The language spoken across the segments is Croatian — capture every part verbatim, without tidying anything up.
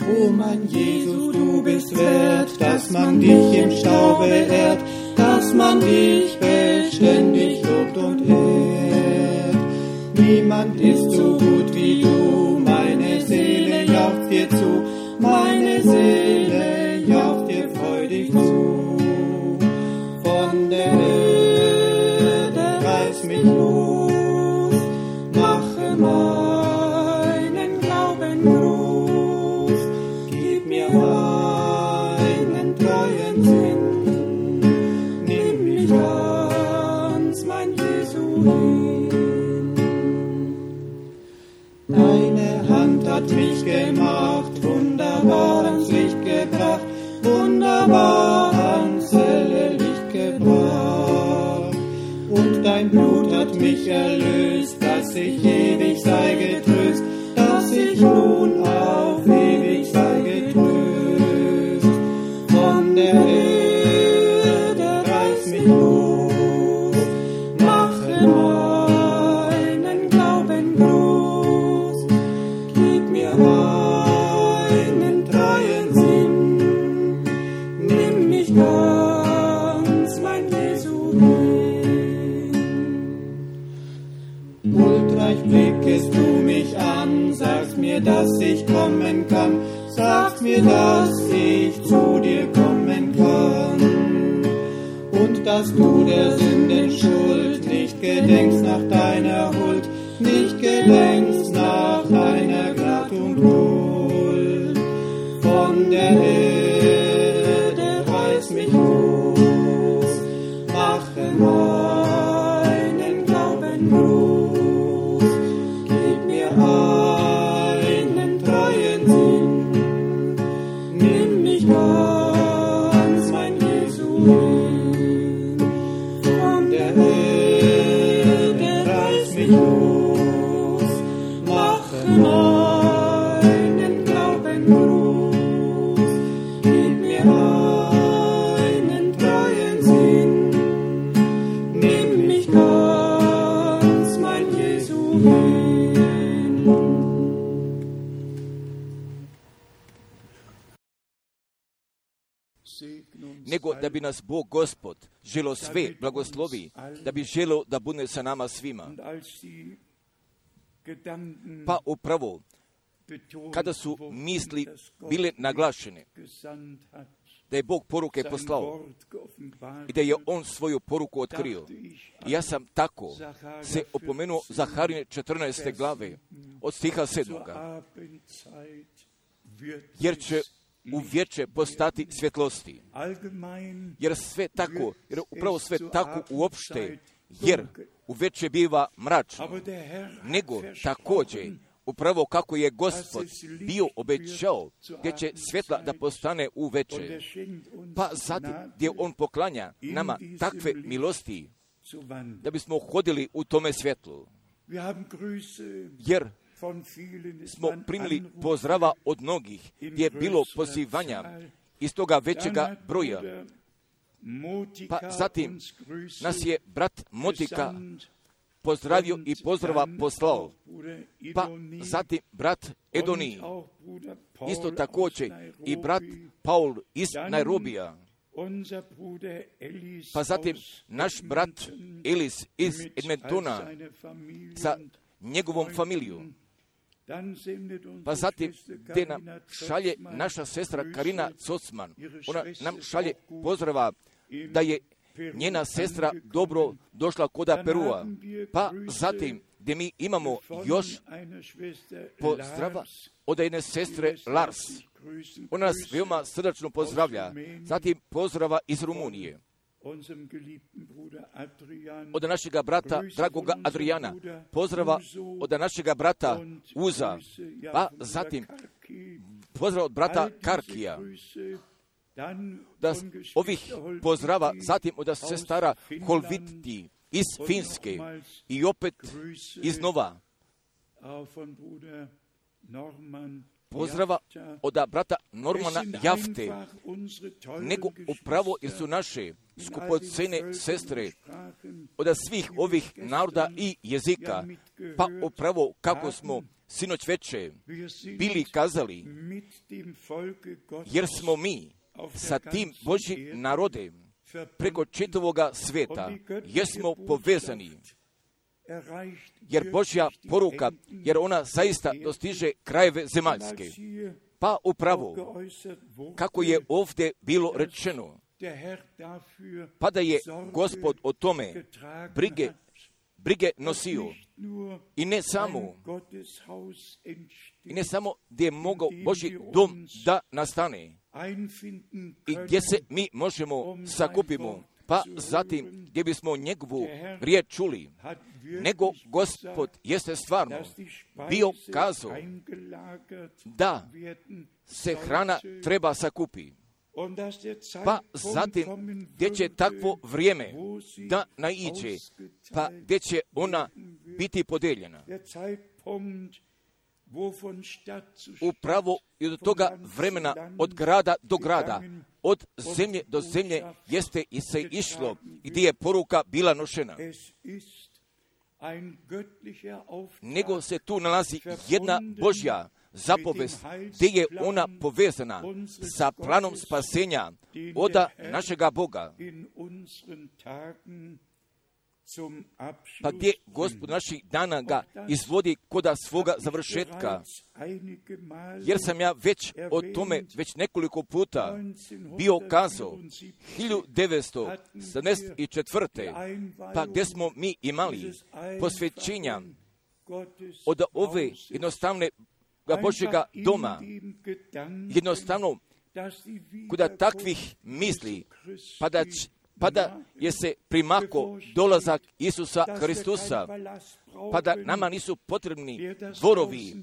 O mein Jesus, du bist wert, dass man dich im Staube ehrt, dass man dich beständig lobt und ehrt. Niemand ist so gut wie du, meine Seele jaucht dir zu, meine Seele jaucht dir freudig zu. Von der Erde reiß mich los, mache meinen Glauben groß, gib mir einen treuen Sinn, nimm mich ganz, mein Jesu hin. Deine Hand hat mich gemacht, wunderbar ans Licht gebracht, wunderbar ans helle Licht gebracht. Und dein Blut hat mich erlöst, dass ich ewig sei getröst, dass ich nun auf ewig sei getröst. Von der Erde reiß mich los, mache meinen Glauben groß, gib mir einen treuen Sinn, nimm mich ganz, mein Jesu hin. Huldreich blickest du mich an, sagst mir, dass ich kommen kann, sagst mir, dass ich zu dir kommen kann. Und dass du der Sünden Schuld nicht gedenkst nach deiner Huld, nicht gedenkst nach deiner Gnad und Huld. Von der Erde reiß mich los, mache meinen Glauben groß, gib mir einen treuen Sinn, nimm mich ganz, mein Jesu hin. Von der Erde reiß mich los, mache meinen Glauben groß, gib mir einen treuen Sinn, nimm mich ganz, mein Jesu hin. Nego da bi nas Bog Gospod želo sve blagoslovi, da bi želo da bude sa nama svima. Pa upravo, kada su misli bile naglašene, da je Bog poruke poslao i da je On svoju poruku otkrio. I ja sam tako se opomenuo Zaharine četrnaeste glave od stiha sedmoga. Jer će u vječe postati svjetlosti. Jer sve tako, jer upravo sve tako uopšte, jer u vječe biva mračno. Nego također, upravo kako je Gospod bio obećao, gdje će svjetla da postane u večer. Pa zatim gdje On poklanja nama takve milosti, da bismo hodili u tome svjetlu. Jer smo primili pozdrava od mnogih, gdje je bilo pozivanja iz toga većega broja. Pa zatim nas je brat Motika pozdravio i pozdrava poslao. Pa zatim brat Edonij, isto također i brat Paul iz Nairobija. Pa zatim naš brat Elis iz Edmontona sa njegovom familijom. Pa zatim gdje nam šalje naša sestra Karina Cocman, ona nam šalje pozdrava da je njena sestra dobro došla koda Perua. Pa zatim gdje mi imamo još pozdrava od jedne sestre Lars. Ona nas veoma srdačno pozdravlja. Zatim pozdrava iz Rumunije. Od našega brata, dragoga Adriana, pozdrava od našega brata Uza, pa zatim pozdrav od brata Karkija, da ovih pozdrava, zatim od sestara Holviti iz Finske i opet iznova pozdrava od brata Normana Jafte, nego upravo jer su naše skupocene sestre od svih ovih naroda i jezika, pa upravo kako smo sinoć veče bili kazali, jer smo mi sa tim Božjim narodem preko čitavoga sveta, jer smo povezani, jer Božja poruka, jer ona zaista dostiže krajeve zemaljske. Pa upravo, kako je ovdje bilo rečeno, pa da je Gospod o tome brige, brige nosio i ne samo, i ne samo gdje je mogao Božji dom da nastane i gdje se mi možemo sakupimo, pa zatim gdje bismo njegovu riječ čuli, nego Gospod jeste stvarno bio kazao da se hrana treba sakupi. Pa zatim gdje će takvo vrijeme da naiđe, pa gdje će ona biti podeljena. Upravo i od toga vremena, od grada do grada, od zemlje do zemlje, jeste i se išlo, gdje je poruka bila nošena. Nego se tu nalazi jedna Božja zapovest, gdje je ona povezana sa planom spasenja oda našega Boga. Pa gdje Gospod naših dana ga izvodi koda svoga završetka. Jer sam ja već o tome već nekoliko puta bio kazao hiljadu devetsto sedamdeset četvrte. pa gdje smo mi imali posvećenja od ove jednostavne Božjega doma, jednostavno kuda takvih misli, pa da, pa da je se primako dolazak Isusa Hristusa, pa da nama nisu potrebni dvorovi,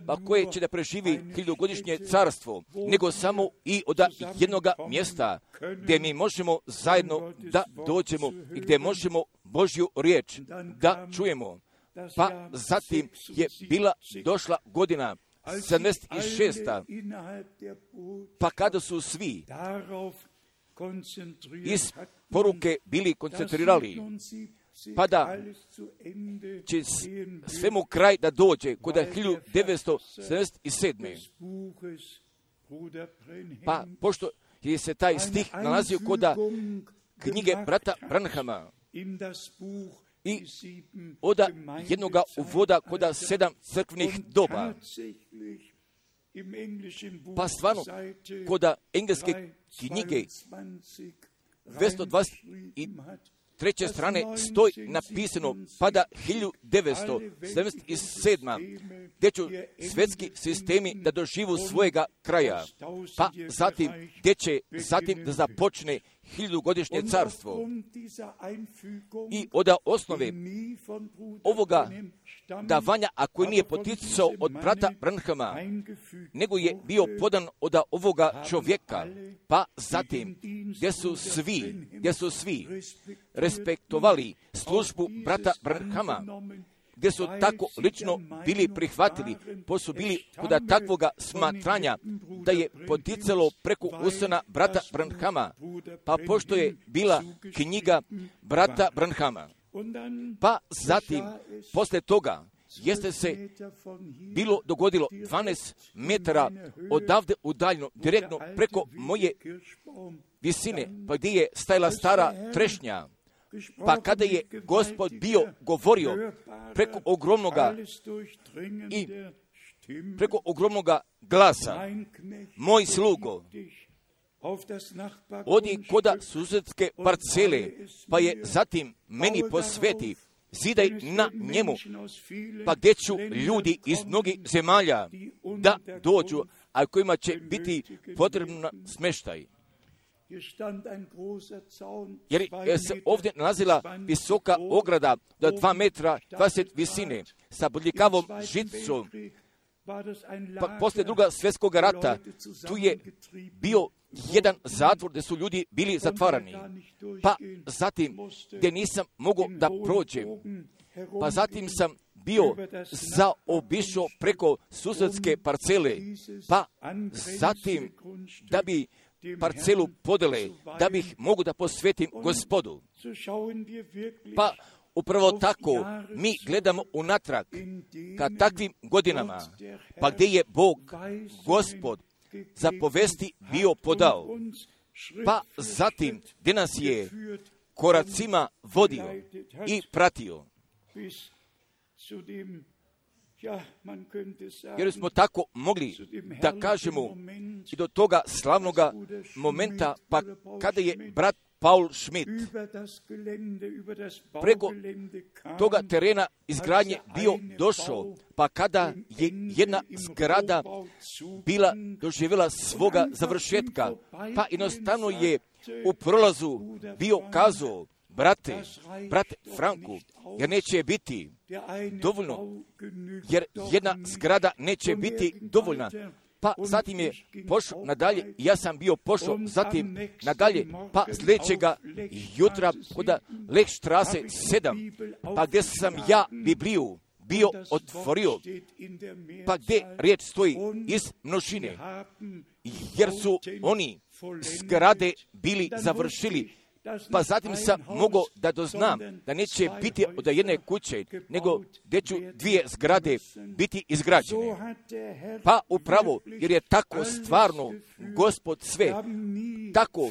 pa koje će da preživi hiljadugodišnje carstvo, nego samo i od jednoga mjesta gdje mi možemo zajedno da dođemo i gdje možemo Božju riječ da čujemo. Pa zatim je bila došla godina sedamdeset šesta. Pa kada su svi iz poruke bili koncentrirali, pa da će svemu kraj da dođe kod hiljadu devetsto sedamdeset sedme. Pa pošto je se taj stih nalazio kod knjige brata Branhama i od jednoga uvoda kod sedam crkvenih doba, pa stvarno kod engleske knjige dvjesto dvadeset treće strane stoji napisano pa da hiljadu devetsto sedamdeset sedma. gdje će svjetski sistemi da doživu svojega kraja, pa zatim gdje će zatim da započne hiljadugodišnje carstvo. I od osnove ovoga davanja, ako nije poticao od brata Branhama, nego je bio podan od ovoga čovjeka, pa zatim gdje su svi, gdje su svi respektovali službu brata Branhama, gdje su tako lično bili prihvatili, pa su bili kod takvoga smatranja da je poticalo preko usana brata Branhama, pa pošto je bila knjiga brata Branhama. Pa zatim, posle toga, jeste se bilo dogodilo dvanaest metara odavde udaljno, direktno preko moje visine, pa gdje je stajala stara trešnja. Pa kada je Gospod bio govorio preko ogromnoga i preko ogromnoga glasa, moj slugo, odi koda susjedske parcele, pa je zatim meni posveti, zidaj na njemu, pa gdje ću ljudi iz mnogih zemalja da dođu, a kojima će biti potrebno smještaj. Jer se ovdje nalazila visoka ograda do dva metra dvadeset visine sa bodljikavom žicom. Pa poslije druga svjetskog rata tu je bio jedan zatvor gdje su ljudi bili zatvarani. Pa zatim gdje nisam mogao da prođem. Pa zatim sam bio zaobišao preko susjedske parcele. Pa zatim da bi parcelu podele, da bih mogu da posvetim Gospodu. Pa upravo tako mi gledamo unatrag ka takvim godinama, pa gdje je Bog, Gospod, zapovesti bio podao, pa zatim gdje nas je koracima vodio i pratio. Jer smo tako mogli da kažemo i do toga slavnoga momenta, pa kada je brat Paul Schmidt preko toga terena izgradnje bio došao, pa kada je jedna zgrada bila doživjela svoga završetka, pa jednostavno je u prolazu bio kazao, brate, brate Franku, jer neće biti dovoljno, jer jedna zgrada neće biti dovoljna. Pa zatim je pošao nadalje, ja sam bio pošao zatim nadalje, pa sljedećega jutra kod Lechstrasse sedam, pa gdje sam ja Bibliju bio otvorio, pa gdje riječ stoji iz množine, jer su oni zgrade bili završili. Pa zatim sam mogao da doznam da neće biti od jedne kuće, nego gdje ću dvije zgrade biti izgrađene. Pa upravo, jer je tako stvarno Gospod sve tako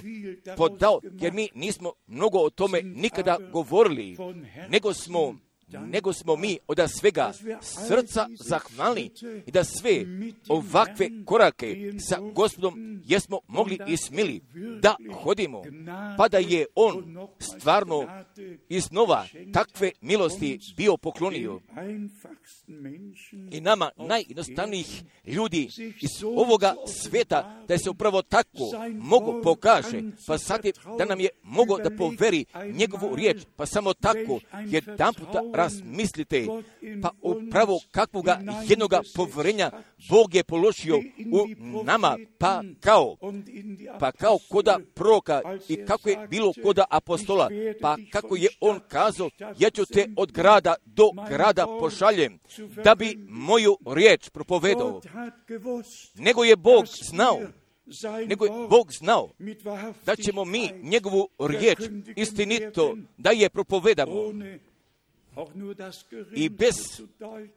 podao, jer mi nismo mnogo o tome nikada govorili, nego smo nego smo mi od svega srca zahvalni i da sve ovakve korake sa Gospodom jesmo mogli i smili da hodimo, pa da je On stvarno iznova takve milosti bio poklonio. I nama najjednostavnijih ljudi iz ovoga sveta da se upravo tako mogu pokaže, pa sad je da nam je mogo da poveri njegovu riječ, pa samo tako jedan puta razmislite, pa upravo kakvoga jednoga poverenja Bog je položio u nama, pa kao, pa kao koda proroka i kako je bilo koda apostola, pa kako je on kazao, ja ću te od grada do grada pošaljem, da bi moju riječ propovedao. Nego je Bog znao, nego je Bog znao da ćemo mi njegovu riječ istinito da je propovedamo i bez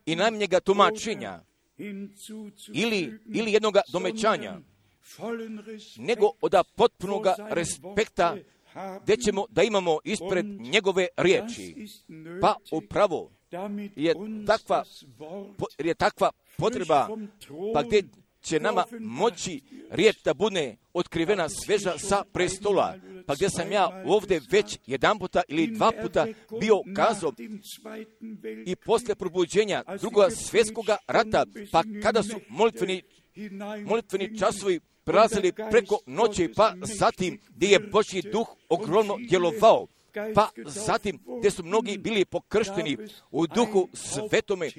i najmanjega tumačenja ili, ili jednoga domećanja, nego od potpunoga respekta gdje ćemo da imamo ispred njegove riječi. Pa upravo je takva, je takva potreba, pa gdje će nama moći riječ da bude otkrivena sveža sa prestola, pa gdje sam ja ovdje već jedan puta ili dva puta bio kazao i poslije probuđenja drugog svjetskoga rata, pa kada su molitveni, molitveni časovi prelazili preko noći, pa zatim gdje je Božji duh ogromno djelovao, pa zatim gdje su mnogi bili pokršteni u duhu svetome,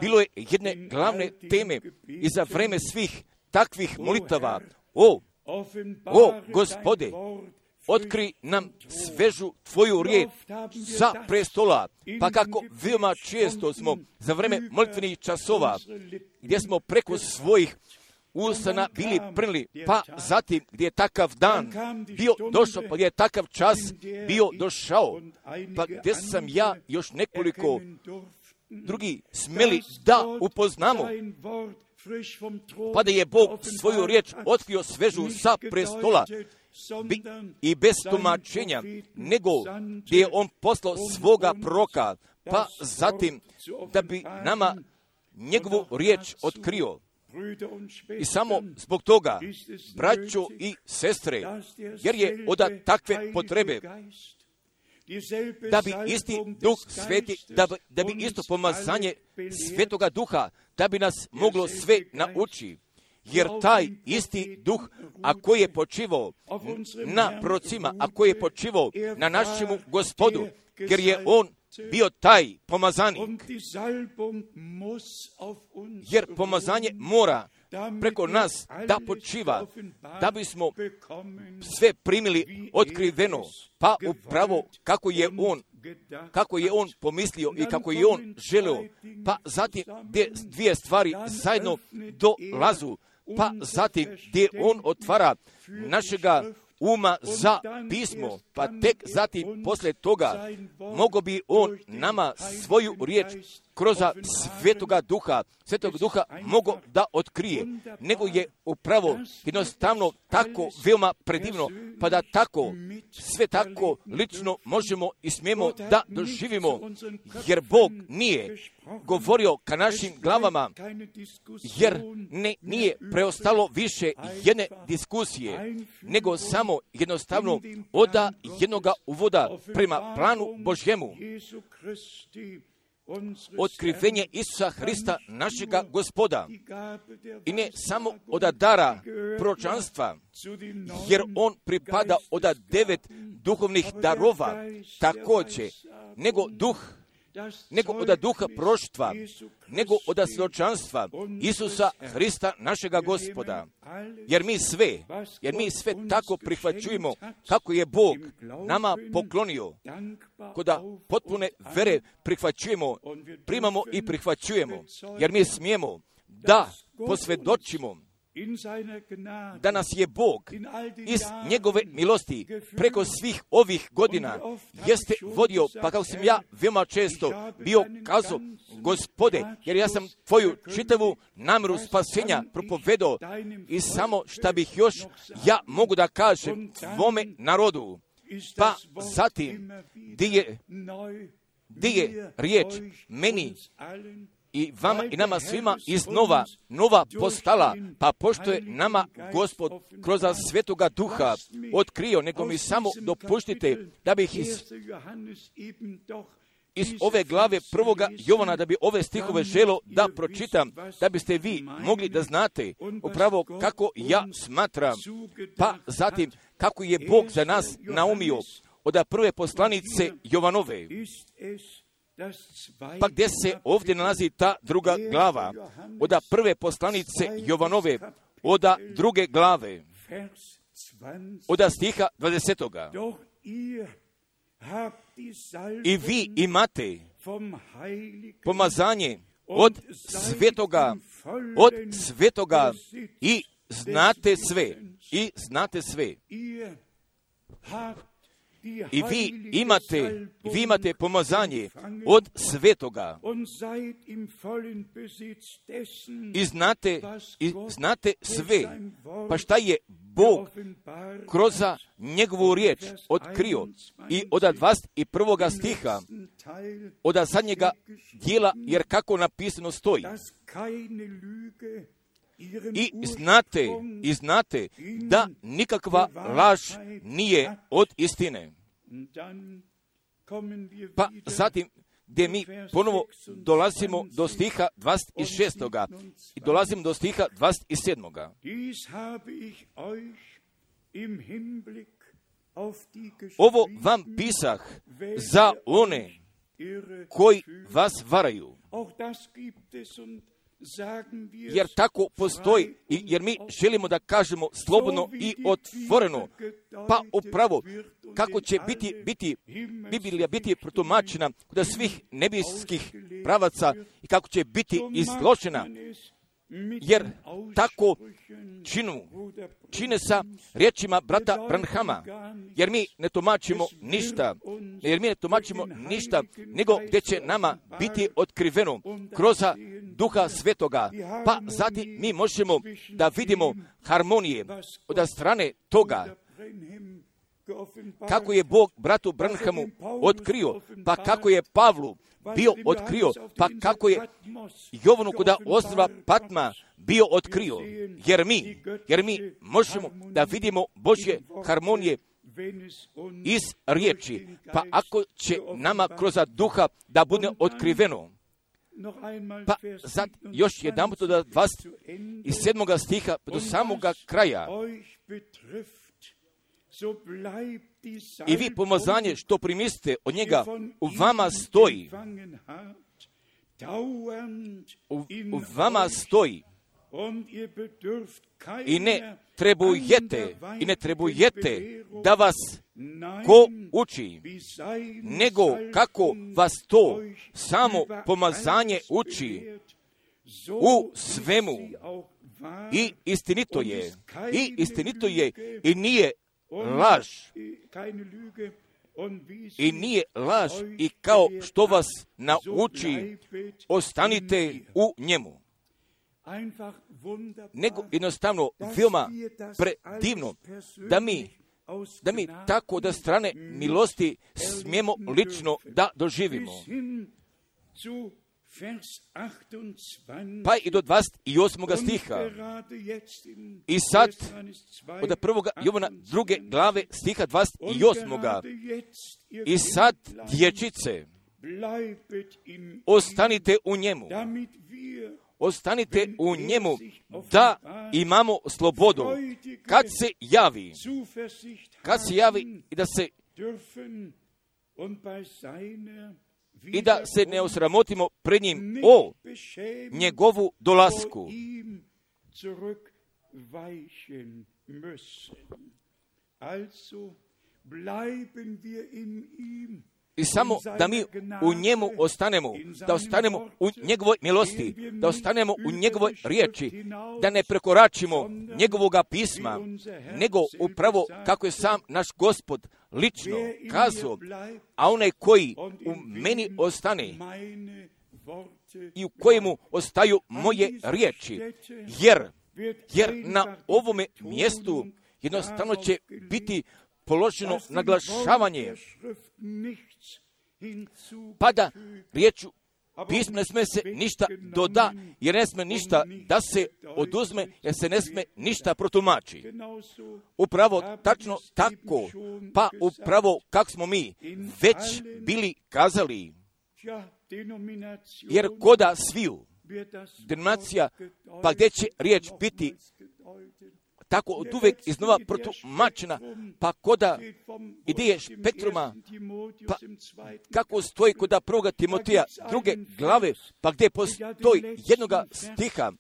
bilo je jedne glavne teme i za vreme svih takvih molitava, o, o Gospode, otkri nam svežu tvoju riječ sa prestola, pa kako veoma često smo za vreme molitvenih časova, gdje smo preko svojih ustana bili prnili, pa zatim gdje je takav dan bio došao, pa gdje je takav čas bio došao, pa gdje sam ja još nekoliko drugi smeli da upoznamo, pa da je Bog svoju riječ otkrio svežu sa prestola bi, i bez tumačenja, nego gdje je on poslao svoga proroka, pa zatim da bi nama njegovu riječ otkrio. I samo zbog toga, braćo i sestre, jer je od takve potrebe da bi isti duh sveti, da bi, da bi isto pomazanje svetoga duha, da bi nas moglo sve nauči. Jer taj isti duh, ako je počivao na prorocima, ako je počivao na našemu Gospodu, jer je on bio taj pomazanik, jer pomazanje mora preko nas da počiva, da bismo sve primili otkriveno, pa upravo kako je on, kako je on pomislio i kako je on želeo, pa zatim gdje dvije stvari zajedno dolazu, pa zatim gdje on otvara našega uma za pismo, pa tek zatim posle toga mogo bi on nama svoju riječ kroz Svetoga Duha, Svetog Duha mogo da otkrije, nego je upravo jednostavno tako veoma predivno, pa da tako, sve tako lično možemo i smijemo da doživimo, jer Bog nije govorio ka našim glavama, jer ne, nije preostalo više jedne diskusije, nego samo jednostavno oda jednoga uvoda prema planu Božjemu. Otkrivenje Isusa Hrista, našega Gospoda, i ne samo od dara proročanstva, jer on pripada od devet duhovnih darova, također, nego duh, nego od duha proroštva, nego od svjedočanstva Isusa Hrista, našega Gospoda. Jer mi sve, jer mi sve tako prihvaćujemo kako je Bog nama poklonio, koda potpune vere prihvaćujemo, primamo i prihvaćujemo, jer mi smijemo da posvjedočimo da nas je Bog iz njegove milosti preko svih ovih godina jeste vodio, pa kao sam ja veoma često bio kazao, Gospode, jer ja sam tvoju čitavu namjeru spasenja propovedao i samo šta bih još ja mogu da kažem tvome narodu. Pa zatim, di je, di je riječ meni i vama i nama svima iznova nova postala, pa pošto je nama Gospod kroz Svetoga Duha otkrio, nego mi samo dopuštite da bih iz, iz ove glave prvoga Jovana, da bi ove stihove želo da pročitam, da biste vi mogli da znate upravo kako ja smatram, pa zatim kako je Bog za nas naumio od prve poslanice Jovanove. Pa gdje se ovdje nalazi ta druga glava, od prve poslanice Jovanove, od druge glave, od stiha dvadesetoga. I vi imate pomazanje od svetoga, od svetoga i znate sve, i znate sve. I vi imate, vi imate pomazanje od svetoga i znate, i znate sve, pa šta je Bog kroz njegovu riječ otkrio i od dvadeset prvoga stiha, od zadnjega dijela, jer kako napisano stoji. I znate, i znate da nikakva laž nije od istine. Pa zatim, gdje mi ponovo dolazimo do stiha dvadeset šestoga i dolazimo do stiha dvadeset sedmoga. Ovo vam pisah za one koji vas varaju. Jer tako postoji, jer mi želimo da kažemo slobodno i otvoreno, pa upravo kako će biti, biti Biblija biti protumačena kod svih nebeskih pravaca i kako će biti izložena, jer tako činu, čine sa riječima brata Branhama, jer mi ne tumačimo ništa, jer mi ne tumačimo ništa, nego gdje će nama biti otkriveno kroz Duha Svetoga, pa zatim mi možemo da vidimo harmonije od strane toga, kako je Bog bratu Branhamu otkrio, pa kako je Pavlu bio otkrio, pa kako je Jovanu kod ostrva Patma bio otkrio, jer mi, jer mi možemo da vidimo Božje harmonije iz riječi, pa ako će nama kroz Duha da bude otkriveno. Pa sad još jedan put od dvadeset sedmoga stiha do samoga kraja. I vi pomazanje što primiste od njega u vama stoji. U, u vama stoji. I ne trebujete, i ne trebujete da vas ko uči, nego kako vas to samo pomazanje uči u svemu. I istinito je, i istinito je, i nije laž. I nije laž i kao što vas nauči, ostanite u njemu. Nego jednostavno veoma predivno da mi, da mi tako da strane milosti smijemo lično da doživimo. Pa i do dvadeset osmog stiha. I sad, od prvog Jovana druge glave stiha dvadeset osmog. I sad, dječice, ostanite u njemu. Ostanite u njemu da imamo slobodu. Kad se javi, kad se javi i da se i da se ne osramotimo pred njim o njegovu dolasku. I samo da mi u njemu ostanemo, da ostanemo u njegovoj milosti, da ostanemo u njegovoj riječi, da ne prekoračimo njegovoga pisma, nego upravo kako je sam naš Gospod lično kazao, a onaj koji u meni ostane i u kojemu ostaju moje riječi, jer, jer na ovome mjestu jednostavno će biti položeno naglašavanje, pa da riječu pisma ne sme se ništa doda, jer ne sme ništa da se oduzme, jer se ne sme ništa protumači. Upravo tačno tako, pa upravo kako smo mi već bili kazali, jer koda sviju denominacija, pa gdje će riječ biti tako od uvek iznova protumačena, pa koda ideje spektruma, pa kako stoji koda prvoga Timoteja druge glave, pa gdje postoji jednoga stiha,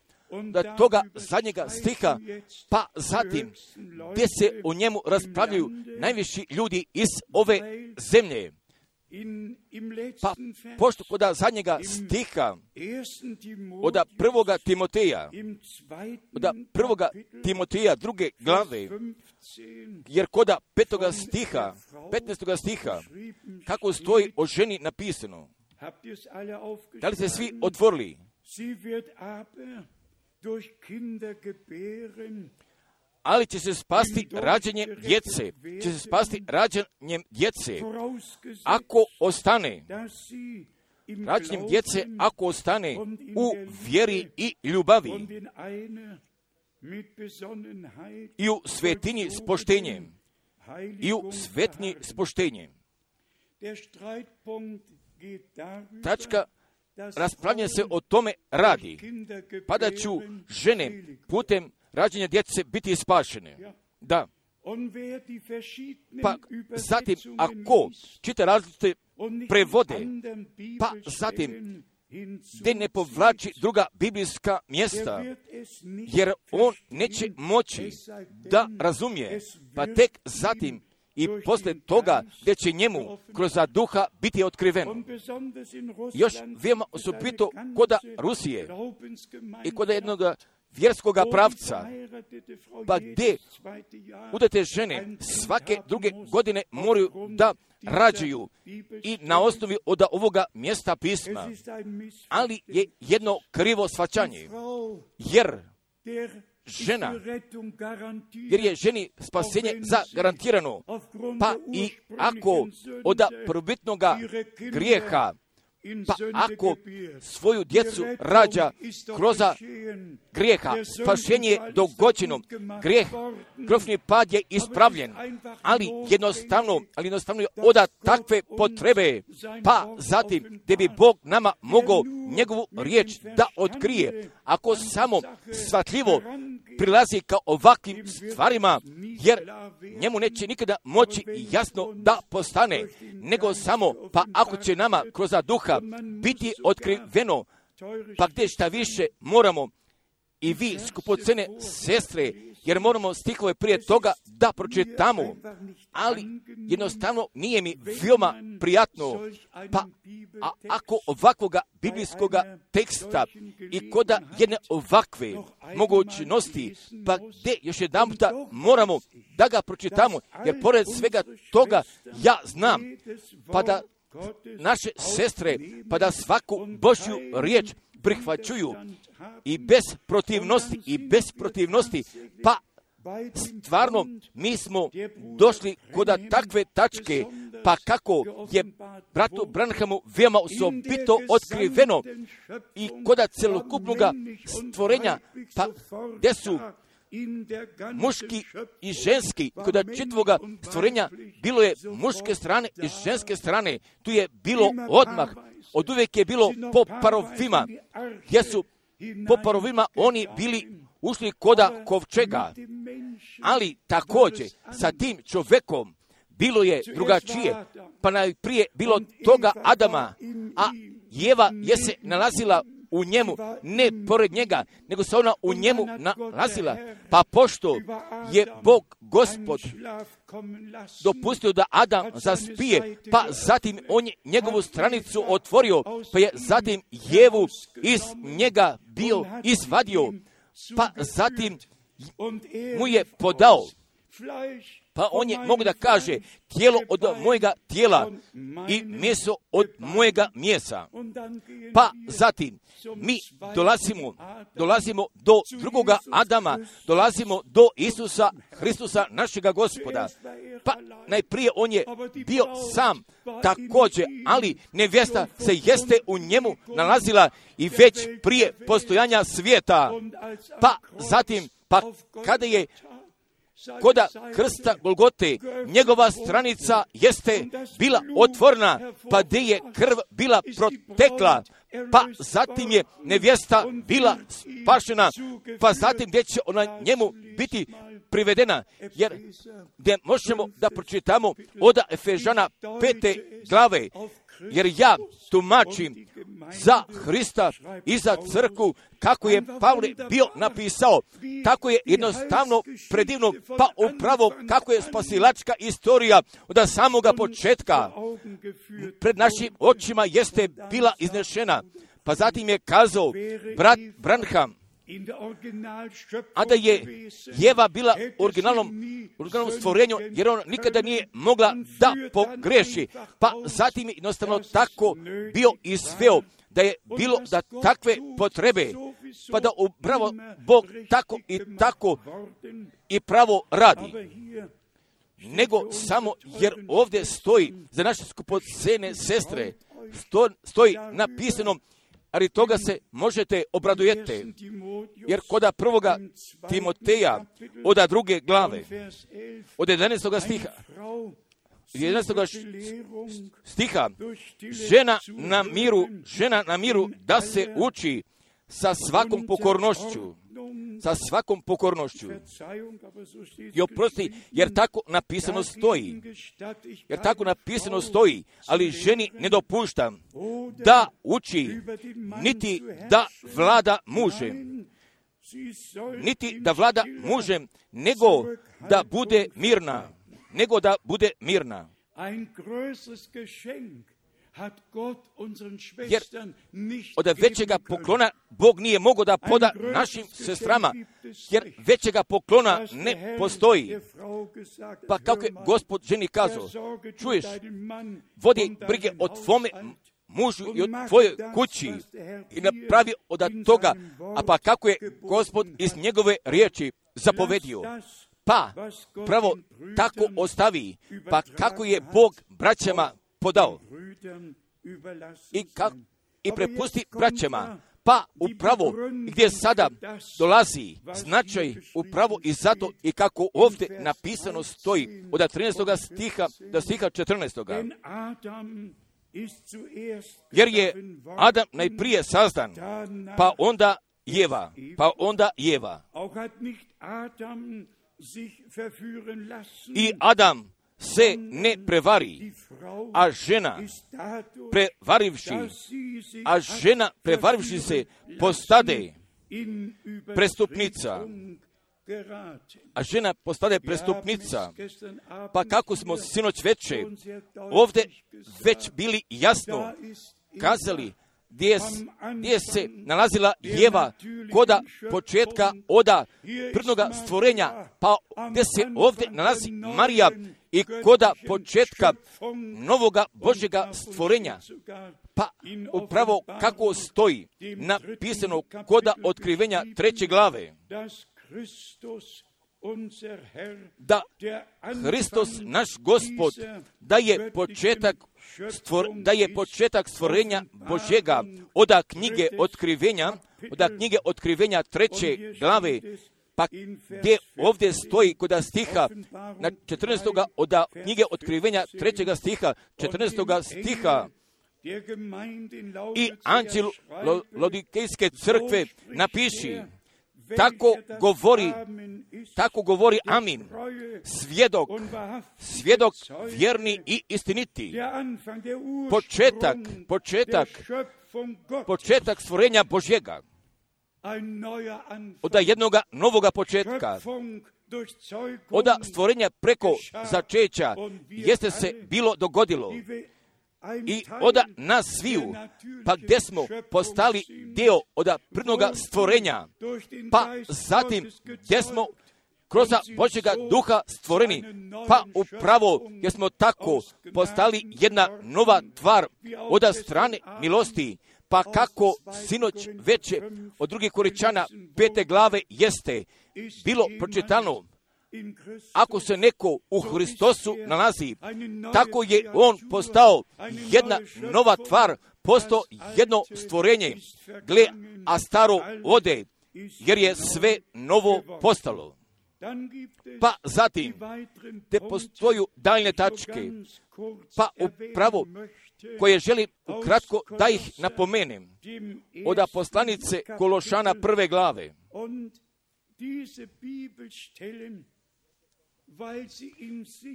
da toga zadnjega stiha, pa zatim gdje se o njemu raspravljaju najviši ljudi iz ove zemlje. Pa pošto koda zadnjega stiha od prvoga Timoteja, od prvoga Timoteja druge glave, jer koda petoga stiha, petnaestoga stiha, kako stoji o ženi napisano, da li ste svi otvorili? Ali će se spasti rađanjem djece, će se spasti rađanjem djece, ako ostane, rađanjem djece, ako ostane u vjeri i ljubavi i u svetinji s poštenjem, i u svetinji s poštenjem. Tačka raspravljanja se o tome radi, pa da ću žene putem rađenja djece biti spašene. Da. Pa zatim, ako čita različite prevode, pa zatim, gdje ne povlači druga biblijska mjesta, jer on neće moći da razumije, pa tek zatim i posle toga gdje će njemu kroz duha biti otkriveno. Još veoma osobito koda Rusije i koda jednog vjerskoga pravca, pa gdje udate žene svake druge godine moraju da rađaju i na osnovi od ovoga mjesta pisma, ali je jedno krivo shvaćanje, jer žena, jer je ženi spasenje zagarantirano, pa i ako od prvobitnoga grijeha, pa ako svoju djecu rađa kroz grijeha, spašenje je dogođeno, grijeh, grofni pad je ispravljen, ali jednostavno, ali jednostavno je oda takve potrebe, pa zatim gdje bi Bog nama mogao njegovu riječ da otkrije, ako samo shvatljivo prilazi ka ovakvim stvarima, jer njemu neće nikada moći jasno da postane, nego samo, pa ako će nama kroz duha biti otkriveno, pa gdje šta više moramo i vi skupocene sestre, jer moramo stihove prije toga da pročitamo, ali jednostavno nije mi veoma prijatno, pa a ako ovakvoga biblijskoga teksta i koda jedne ovakve mogućnosti, pa gdje još jedan puta moramo da ga pročitamo, jer pored svega toga ja znam, pa da naše sestre, pa da svaku Božju riječ prihvaćuju i bez protivnosti, i bez protivnosti, pa stvarno mi smo došli kod takve tačke, pa kako je bratu Branhamu veoma osobito otkriveno i kod celokupnog stvorenja, pa gdje su muški i ženski, kod čitavoga stvorenja bilo je muške strane i ženske strane, tu je bilo odmah, od uvijek je bilo po parovima, gdje su po parovima oni bili ušli koda kovčega, ali također sa tim čovjekom bilo je drugačije, pa najprije bilo toga Adama, a Jeva je se nalazila u njemu, ne pored njega, nego se ona u njemu nalazila, pa pošto je Bog Gospod dopustio da Adam zaspije, pa zatim on je njegovu stranicu otvorio, pa je zatim Jevu iz njega bio izvadio, pa zatim mu je podao, pa on je mogu da kaže tijelo od mojega tijela i meso od mojega mjesa. Pa zatim mi dolazimo, dolazimo do drugoga Adama, dolazimo do Isusa Hristusa našega Gospoda. Pa najprije on je bio sam također, ali nevjesta se jeste u njemu nalazila i već prije postojanja svijeta. Pa zatim, pa kada je koda krsta Golgote, njegova stranica jeste bila otvorena, pa gdje je krv bila protekla, pa zatim je nevjesta bila spašena, pa zatim gdje će ona njemu biti privedena, jer gdje možemo da pročitamo od Efežana pete glave, jer ja tumačim za Hrista i za crkvu, kako je Pavle bio napisao, tako je jednostavno predivno, pa upravo kako je spasilačka istorija od samoga početka pred našim očima jeste bila iznešena. Pa zatim je kazao brat Branham, a da je Jeva bila u originalnom, originalnom stvorenju, jer ona nikada nije mogla da pogreši. Pa zatim je jednostavno tako bio izveo da je bilo da takve potrebe, pa da upravo Bog tako i tako i pravo radi. Nego samo jer ovdje stoji za naše skupocene sestre, sto, stoji napisano, ali toga se možete obradujete, jer koda prvoga Timoteja, od druge glave, od jedanaestoga stiha, jedanaestoga stiha, žena na miru, žena na miru da se uči sa svakom pokornošću, sa svakom pokornošću. I oprosti, jer tako napisano stoji, jer tako napisano stoji, ali ženi ne dopuštam da uči, niti da vlada mužem, niti da vlada mužem, nego da bude mirna, nego da bude mirna. Jer od većega poklona Bog nije mogao da poda našim sestrama, jer većega poklona ne postoji. Pa kako je Gospod ženi kazao, čuješ, vodi brige o tvome mužu i o tvojoj kući i napravi od toga, a pa kako je Gospod iz njegove riječi zapovedio. Pa pravo tako ostavi, pa kako je Bog braćama podao i, kak, i prepusti braćama, pa upravo gdje sada dolazi značaj upravo i zato i kako ovdje napisano stoji od trinaestoga stiha do stiha četrnaestoga. Jer je Adam najprije sazdan, pa onda Jeva, pa onda Jeva. I Adam se ne prevari, a žena prevarivši, a žena prevarivši se postade prestupnica, a žena postade prestupnica. Pa kako smo sinoć veče ovdje već bili jasno kazali gdje, gdje se nalazila Jeva koda početka oda prvnoga stvorenja, pa gdje se ovdje nalazi Marija i koda početka novoga Božjega stvorenja. Pa upravo kako stoji napisano koda otkrivenja treće glave, da Hristos, naš Gospod, da je početak, stvor, da je početak stvorenja Božjega, oda knjige otkrivenja, oda knjige otkrivenja treće glave, pa gdje ovdje stoji koda stiha, na četrnaestoga oda knjige otkrivenja trećega stiha, četrnaestoga stiha, i anđel Laodikejske crkve napiši, tako govori, tako govori Amin, svjedok, svjedok vjerni i istiniti, početak, početak, početak stvorenja Božjega, od jednoga novoga početka, od stvorenja preko začeća, jeste se bilo dogodilo. I od nas sviju, pa gdje smo postali dio od prvnoga stvorenja, pa zatim gdje smo kroz Božjega duha stvoreni, pa upravo jer smo tako postali jedna nova tvar od strane milosti, pa kako sinoć veće od drugih Korinčana pete glave jeste bilo pročitano, ako se neko u Hristosu nalazi, tako je on postao jedna nova tvar, postao jedno stvorenje, gle, a staro ode, jer je sve novo postalo. Pa zatim, te postoju daljne tačke, pa upravo koje želim ukratko da ih napomenem, od poslanice Kološana prve glave.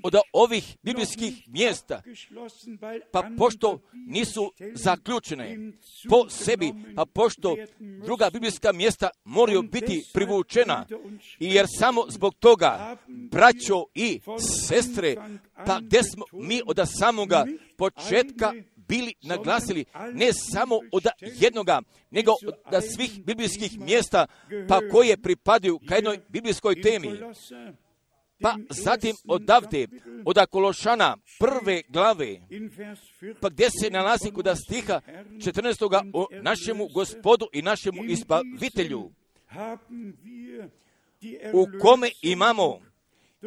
Od ovih biblijskih mjesta, pa pošto nisu zaključene po sebi, pa pošto druga biblijska mjesta moraju biti privučena, i jer samo zbog toga, braćo i sestre, pa gdje smo mi od samoga početka bili naglasili, ne samo od jednoga, nego od svih biblijskih mjesta, pa koje pripadaju ka jednoj biblijskoj temi. Pa zatim odavde, od Kološana prve glave, pa gdje se nalazi kod stiha četrnaestoga o našemu Gospodu i našemu Izbavitelju, u kome imamo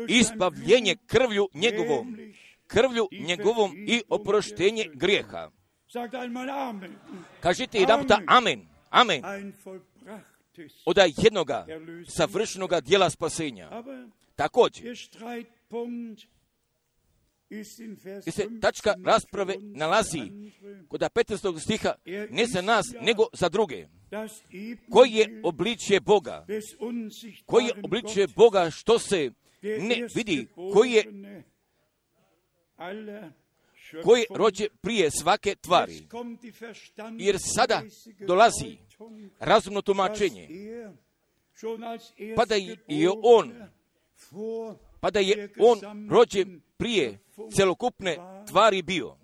izbavljenje krvlju njegovom, krvlju njegovom i oproštenje grijeha. Kažite jedan puta amen, amen, od jednoga savršenoga dijela spasenja. Također, gdje se tačka rasprave nalazi kod petnaestog stiha, ne za nas, nego za druge. Koji je obličje Boga? Koji je obličje Boga što se ne vidi? Koji je, koji rođe prije svake tvari? Jer sada dolazi razumno tumačenje, pa da je on pa da je on rođen prije celokupne tvari bio.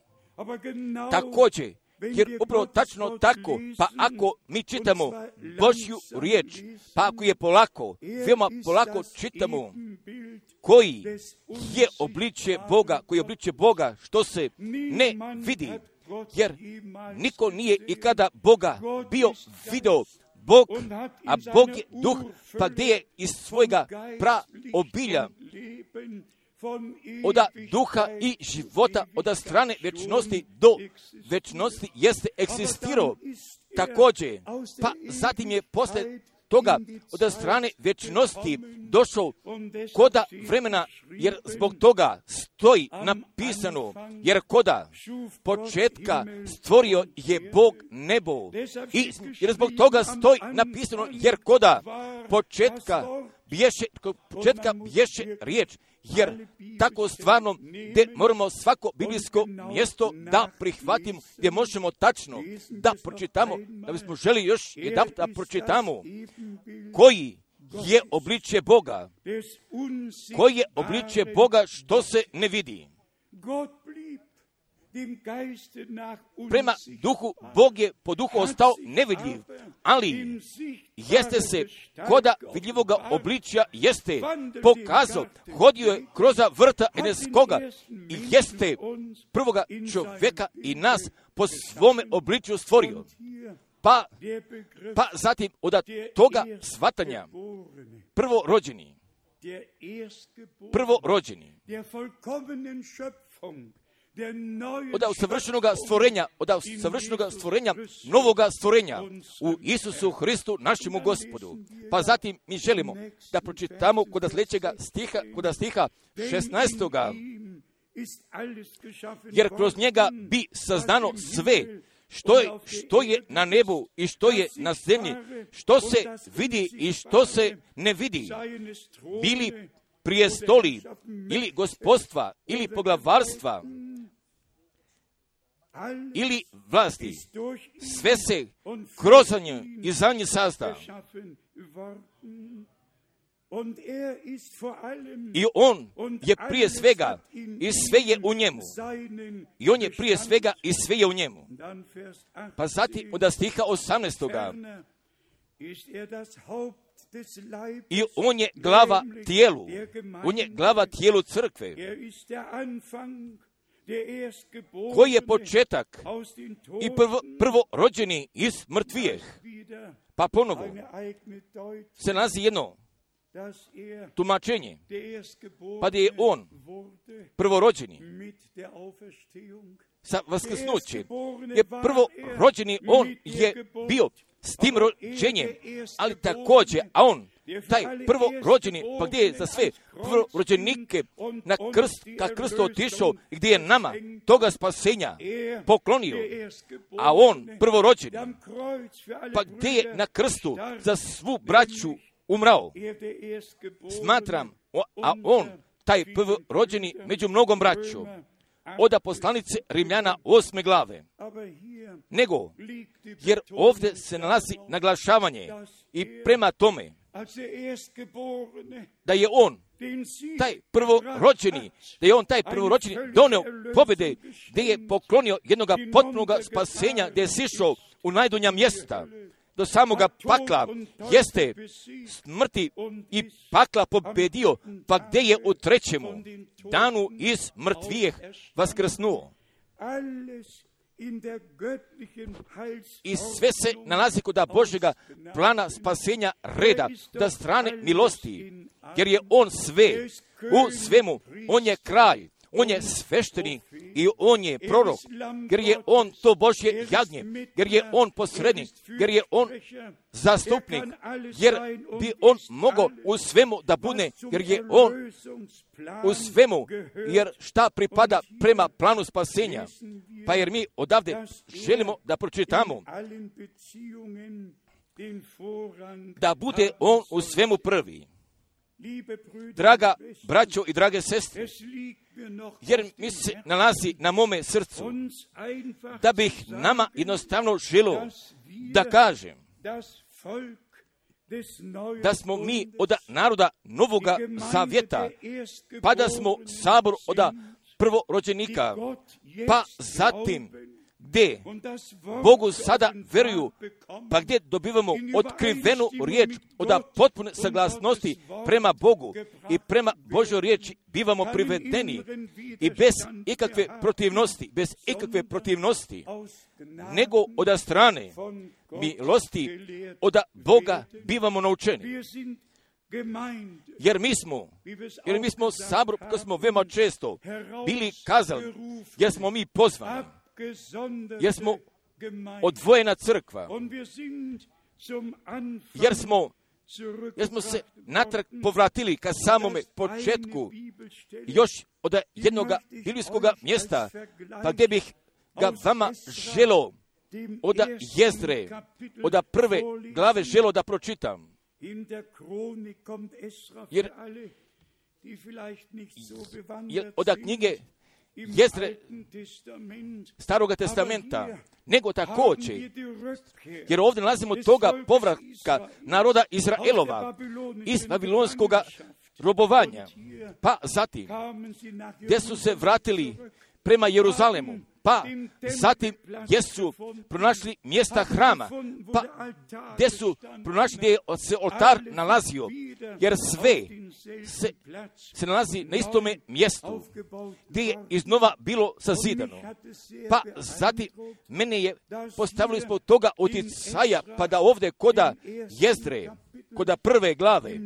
Također, jer upravo tačno tako, pa ako mi čitamo Božju riječ, pa ako je polako, veoma polako čitamo koji je obličje Boga, koji je obličje Boga što se ne vidi, jer niko nije i kada Boga bio video. Bog, a Bog je duh, pa gdje je iz svojega praobilja od duha i života, od strane večnosti do večnosti jeste egzistirao. Također, pa zatim je posle toga od strane večnosti došao koda vremena, jer zbog toga stoji napisano, jer koda početka stvorio je Bog nebo. I jer zbog toga stoji napisano, jer koda početka bješe, početka bješe riječ, jer tako stvarno gdje moramo svako biblijsko mjesto da prihvatimo, gdje možemo tačno da pročitamo, da bismo želi još jedan da pročitamo koji je obličje Boga, koji je obličje Boga što se ne vidi. Prema duhu, Bog je po duhu ostao nevidljiv, ali jeste se koda vidljivoga obličja jeste pokazao, hodio je kroz vrta Edenskoga i jeste prvoga čovjeka i nas po svome obličju stvorio. Pa, pa zatim od toga shvatanja prvorođeni, prvorođeni, od savršenoga stvorenja, od savršenoga stvorenja, novoga stvorenja u Isusu Hristu, našemu Gospodu. Pa zatim mi želimo da pročitamo kod sljedećega stiha, kod stiha šesnaestoga. Jer kroz njega bi saznano sve, što je, što je na nebu i što je na zemlji, što se vidi i što se ne vidi, bili prijestoli ili gospodstva ili poglavarstva ili vlasti, sve se kroz nje i za nje sazda. I on je prije svega i sve je u njemu. I on je prije svega i sve je u njemu. Pa zatim od stiha osamnaestoga. I on je glava tijelu. On je glava tijelu crkve. Koji je početak i prvo, prvorođeni iz mrtvijeh. Pa ponovo se nalazi jedno tumačenje, pa da je on prvorođeni sa vaskrsnućem. Je prvorođeni, on je bio s tim rođenjem, ali također, a on, taj prvorođeni, pa gdje je za sve prvorođenike na krst, ka krstu otišao i gdje je nama toga spasenja poklonio, a on prvorođeni, pa gdje je na krstu za svu braću umrao. Smatram, a on, taj prvorođeni među mnogom braćom, od poslanice Rimljana osme glave. Nego, jer ovdje se nalazi naglašavanje i prema tome da je on taj prvorođeni, da je on taj prvorođeni doneo pobjede, gdje je poklonio jednog potpunog spasenja, gdje je sišao u najdonja mjesta do samoga pakla, jeste smrti i pakla pobjedio, pa gdje je u trećemu danu iz mrtvijeh vaskrsnuo. I sve se nalazi kod Božjega plana spasenja reda, da strane milosti, jer je on sve, u svemu, on je kraj, on je sveštenik i on je prorok, jer je on to Božje jagnje, jer je on posrednik, jer je on zastupnik, jer bi on mogao u svemu da bude, jer je on u svemu, jer šta pripada prema planu spasenja. Pa jer mi odavde želimo da pročitamo da bude on u svemu prvi. Draga braćo i drage sestre, jer mi se nalazi na mome srcu, da bih nama jednostavno želio da kažem da smo mi od naroda Novoga Zavjeta, pa da smo sabor od prvorođenika, pa zatim gdje Bogu sada veruju, pa gdje dobivamo otkrivenu riječ od potpune saglasnosti prema Bogu i prema Božoj riječi bivamo privedeni i bez ikakve protivnosti, bez ikakve protivnosti, nego od strane milosti od Boga bivamo naučeni. Jer mi smo, jer mi smo sabor, koji smo veoma često bili kazali, jer smo mi pozvani, jer smo odvojena crkva, jer smo, jer smo se natrag povratili ka samome početku još od jednog biblijskog mjesta, pa gdje bih ga vama želio od Jezdre, od prve glave želio da pročitam. Jer, jer od knjige Jezdre Staroga testamenta, nego također, jer ovdje nalazimo toga povratka naroda Izraelova iz babilonskog robovanja, pa zatim gdje su se vratili prema Jeruzalemu, pa zatim gdje su pronašli mjesta hrama, pa gdje su pronašli gdje se oltar nalazio, jer sve se, se nalazi na istome mjestu gdje je iznova bilo sazidano. Pa zatim mene je postavili ispod toga utjecaja, pa da ovdje koda Jezdre, koda prve glave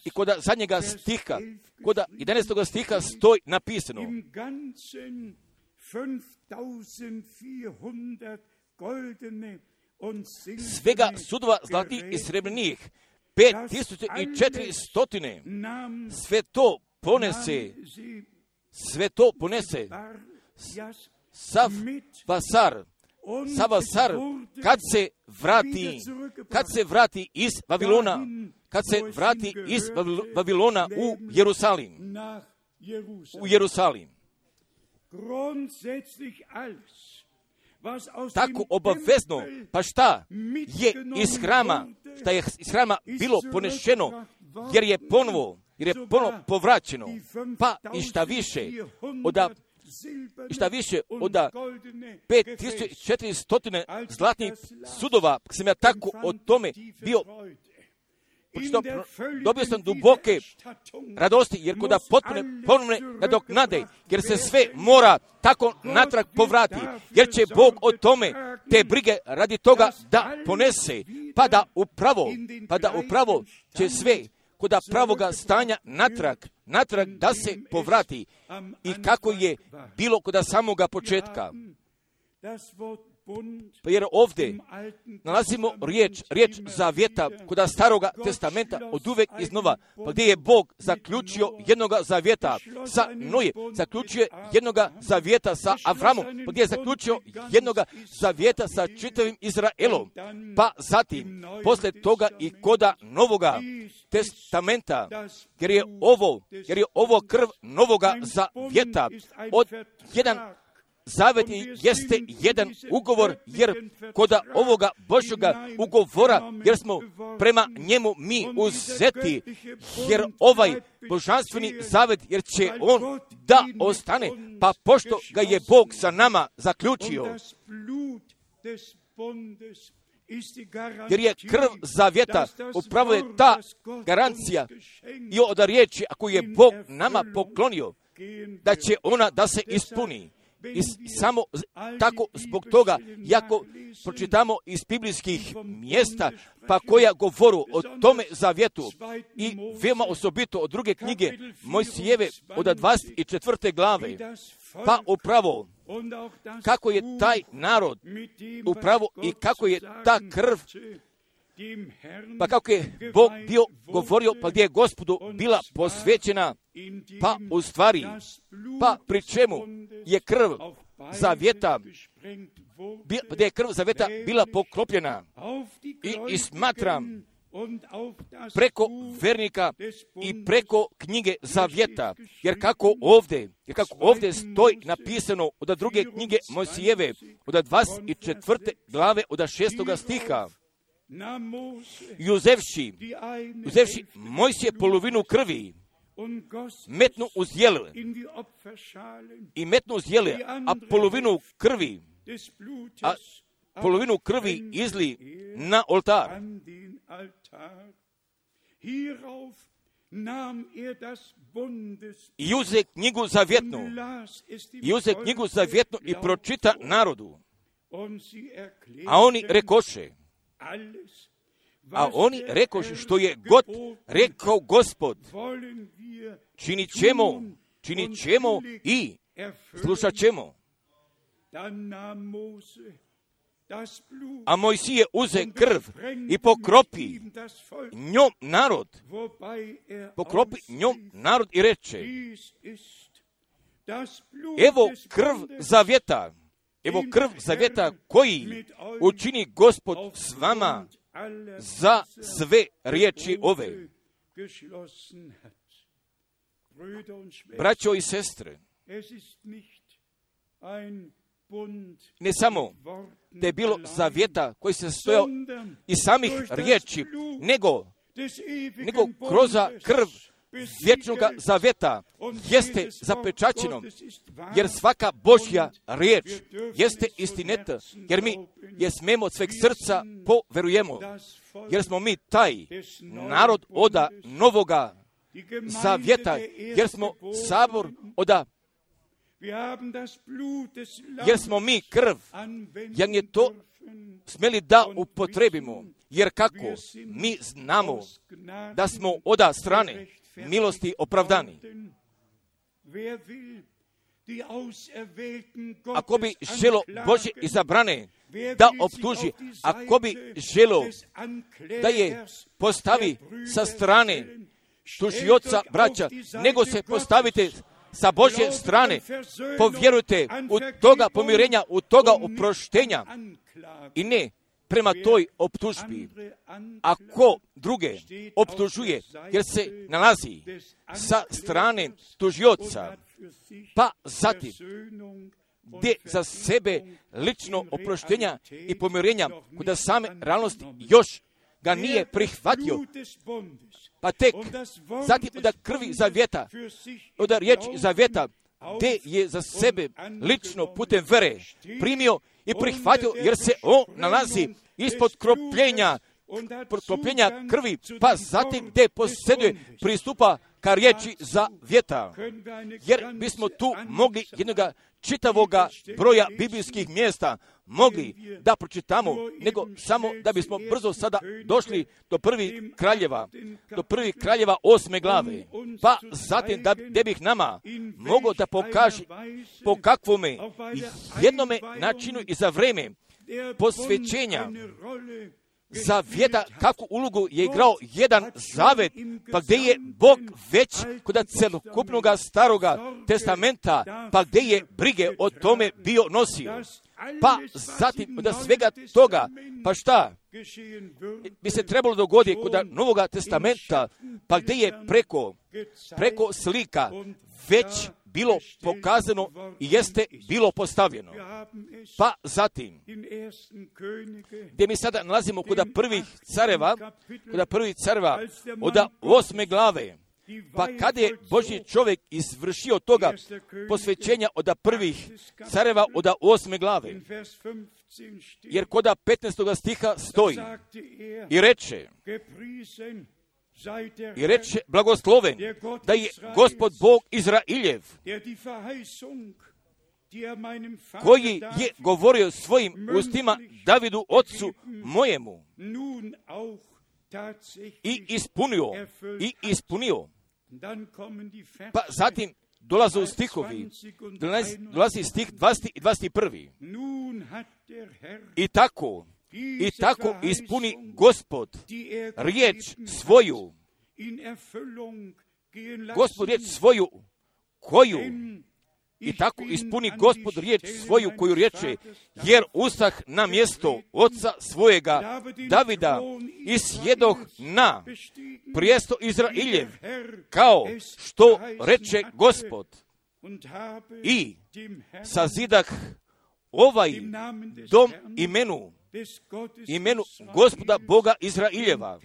i koda zadnjega stiha, koda jedanaestog stiha stoji napisano: svega sudova zlatih i srebrnih, pet tisuća i četiri stotine, sve to ponese, sve to ponese sav vasar, sav vasar, kad se vrati, kad se vrati iz Vavilona, kad se vrati iz Vavilona u Jerusalim, u Jerusalim. Tako obavezno, pa šta je iz hrama, šta je iz hrama bilo ponešeno, jer je ponovo, jer je ponovo povraćeno, pa i šta više, oda, i šta više od pet tisuća četiri stotine zlatnih sudova, sam ja tako o tome bio Pošto dobio sam duboke radosti, jer kod da potpune ponovne nadoknade, jer se sve mora tako natrag povrati, jer će Bog o tome te brige radi toga da ponese, pa da upravo, pa da upravo će sve kod pravoga stanja natrag, natrag da se povrati i kako je bilo kod samoga početka. Pa jer ovdje nalazimo riječ, riječ zavjeta kod staroga testamenta od uvek iznova, pa gdje je Bog zaključio jednoga zavjeta sa Noje, zaključio jednoga zavjeta sa Avramom, pa gdje je zaključio jednoga zavjeta sa čitavim Izraelom, pa zatim posle toga i koda novoga testamenta, jer je ovo, jer je ovo krv novoga zavjeta od jedan Zavet jeste jedan ugovor, jer kod ovoga Božjoga ugovora, jer smo prema njemu mi uzeti, jer ovaj božanstveni zavet, jer će on da ostane, pa pošto ga je Bog sa nama zaključio, jer je krv zavjeta, upravo je ta garancija i od riječi, ako je Bog nama poklonio, da će ona da se ispuni. I samo tako zbog toga, jako pročitamo iz biblijskih mjesta, pa koja govoru o tome zavjetu i veoma osobito od druge knjige Mojsijeve od dvadeset četvrte glave, pa upravo kako je taj narod upravo i kako je ta krv, pa kako je Bog bio govorio, pa gdje je Gospodu bila posvećena, pa u stvari, pa pri čemu je krv zavjeta, gdje je krv zavjeta bila poklopljena i, i smatram preko vernika i preko knjige zavjeta, jer kako ovdje, jer kako ovdje stoji napisano od druge knjige Mojsijeve, od dvadeset četvrte glave, od šestoga stiha, i uzevši, uzevši Mojsije polovinu krvi, metnu uz jele, i metnu uz jele, a polovinu krvi, a polovinu krvi izli na oltar. I uze knjigu zavjetnu, i uze knjigu zavjetnu i pročita narodu, a oni rekoše, A oni rekoše što je god rekao Gospod, činit ćemo, činit ćemo i slušat ćemo. A Mojsije uze krv i pokropi njom narod, pokropi njom narod i reče, evo krv zavjeta, evo krv zavjeta koji učini Gospod s vama za sve riječi ove. Braćo i sestre, ne samo da je bilo zavjeta koji se stojao iz samih riječi, nego, nego kroz krv vječnoga zavjeta jeste zapečaćeno, jer svaka Božja riječ jeste istineta, jer mi je smemo od sveg srca poverujemo, jer smo mi taj narod oda novoga zavjeta, jer smo sabor oda, jer smo mi krv, jer je to smjeli da upotrebimo, jer kako mi znamo da smo oda strane milosti opravdani. Ako bi želo Božje izabrane da optuži, ako bi želo da je postavi sa strane tužioca braća, nego se postavite sa Božje strane, povjerujte u toga pomirenja, u toga oproštenja i ne prema toj optužbi. Ako druge optužuje, jer se nalazi sa strane tužioca, pa zatim gdje za sebe lično oproštenja i pomirenja, kuda same realnosti još ga nije prihvatio, pa tek zatim da krvi zavjeta, da riječ zavjeta, gdje je za sebe lično putem vere primio i prihvatio, jer se on nalazi ispod kropljenja, kropljenja krvi, pa zatim gdje posjeduje pristupa ka riječi zavjeta. Jer bismo tu mogli jednoga čitavoga broja biblijskih mjesta mogli da pročitamo, nego samo da bismo brzo sada došli do prvih kraljeva, do prvih kraljeva osme glave, pa zatim da, da bih nama mogao da pokaže po kakvome jednome načinu i za vreme posvećenja zavjeta, kakvu ulogu je igrao jedan zavet, pa gdje je Bog već kod celokupnog staroga testamenta, pa gdje je brige o tome bio nosio. Pa zatim od svega toga, pa šta bi se trebalo dogoditi kod Novoga testamenta, pa gdje je preko, preko slika već bilo pokazano i jeste bilo postavljeno. Pa zatim, gdje mi sada nalazimo kod prvih careva, kod prvih careva od osme glave, pa kada je Božji čovjek izvršio toga posvećenja od prvih careva od osme glave, jer kod petnaestog stiha stoji i reče, i reče blagosloven da je Gospod Bog Izrailjev, koji je govorio svojim ustima Davidu ocu mojemu i ispunio, i ispunio. Pa zatim dolaze stihovi, dolazi, dolazi stih dvadeset i dvadeset prvi. I tako, i tako ispuni Gospod riječ svoju, Gospod riječ svoju, koju, i tako ispuni Gospod riječ svoju koju riječe, jer ustah na mjesto oca svojega Davida i sjedoh na prijesto Izrailjev, kao što reče Gospod, i sazidah ovaj dom imenu, imenu Gospoda Boga Izrailjeva.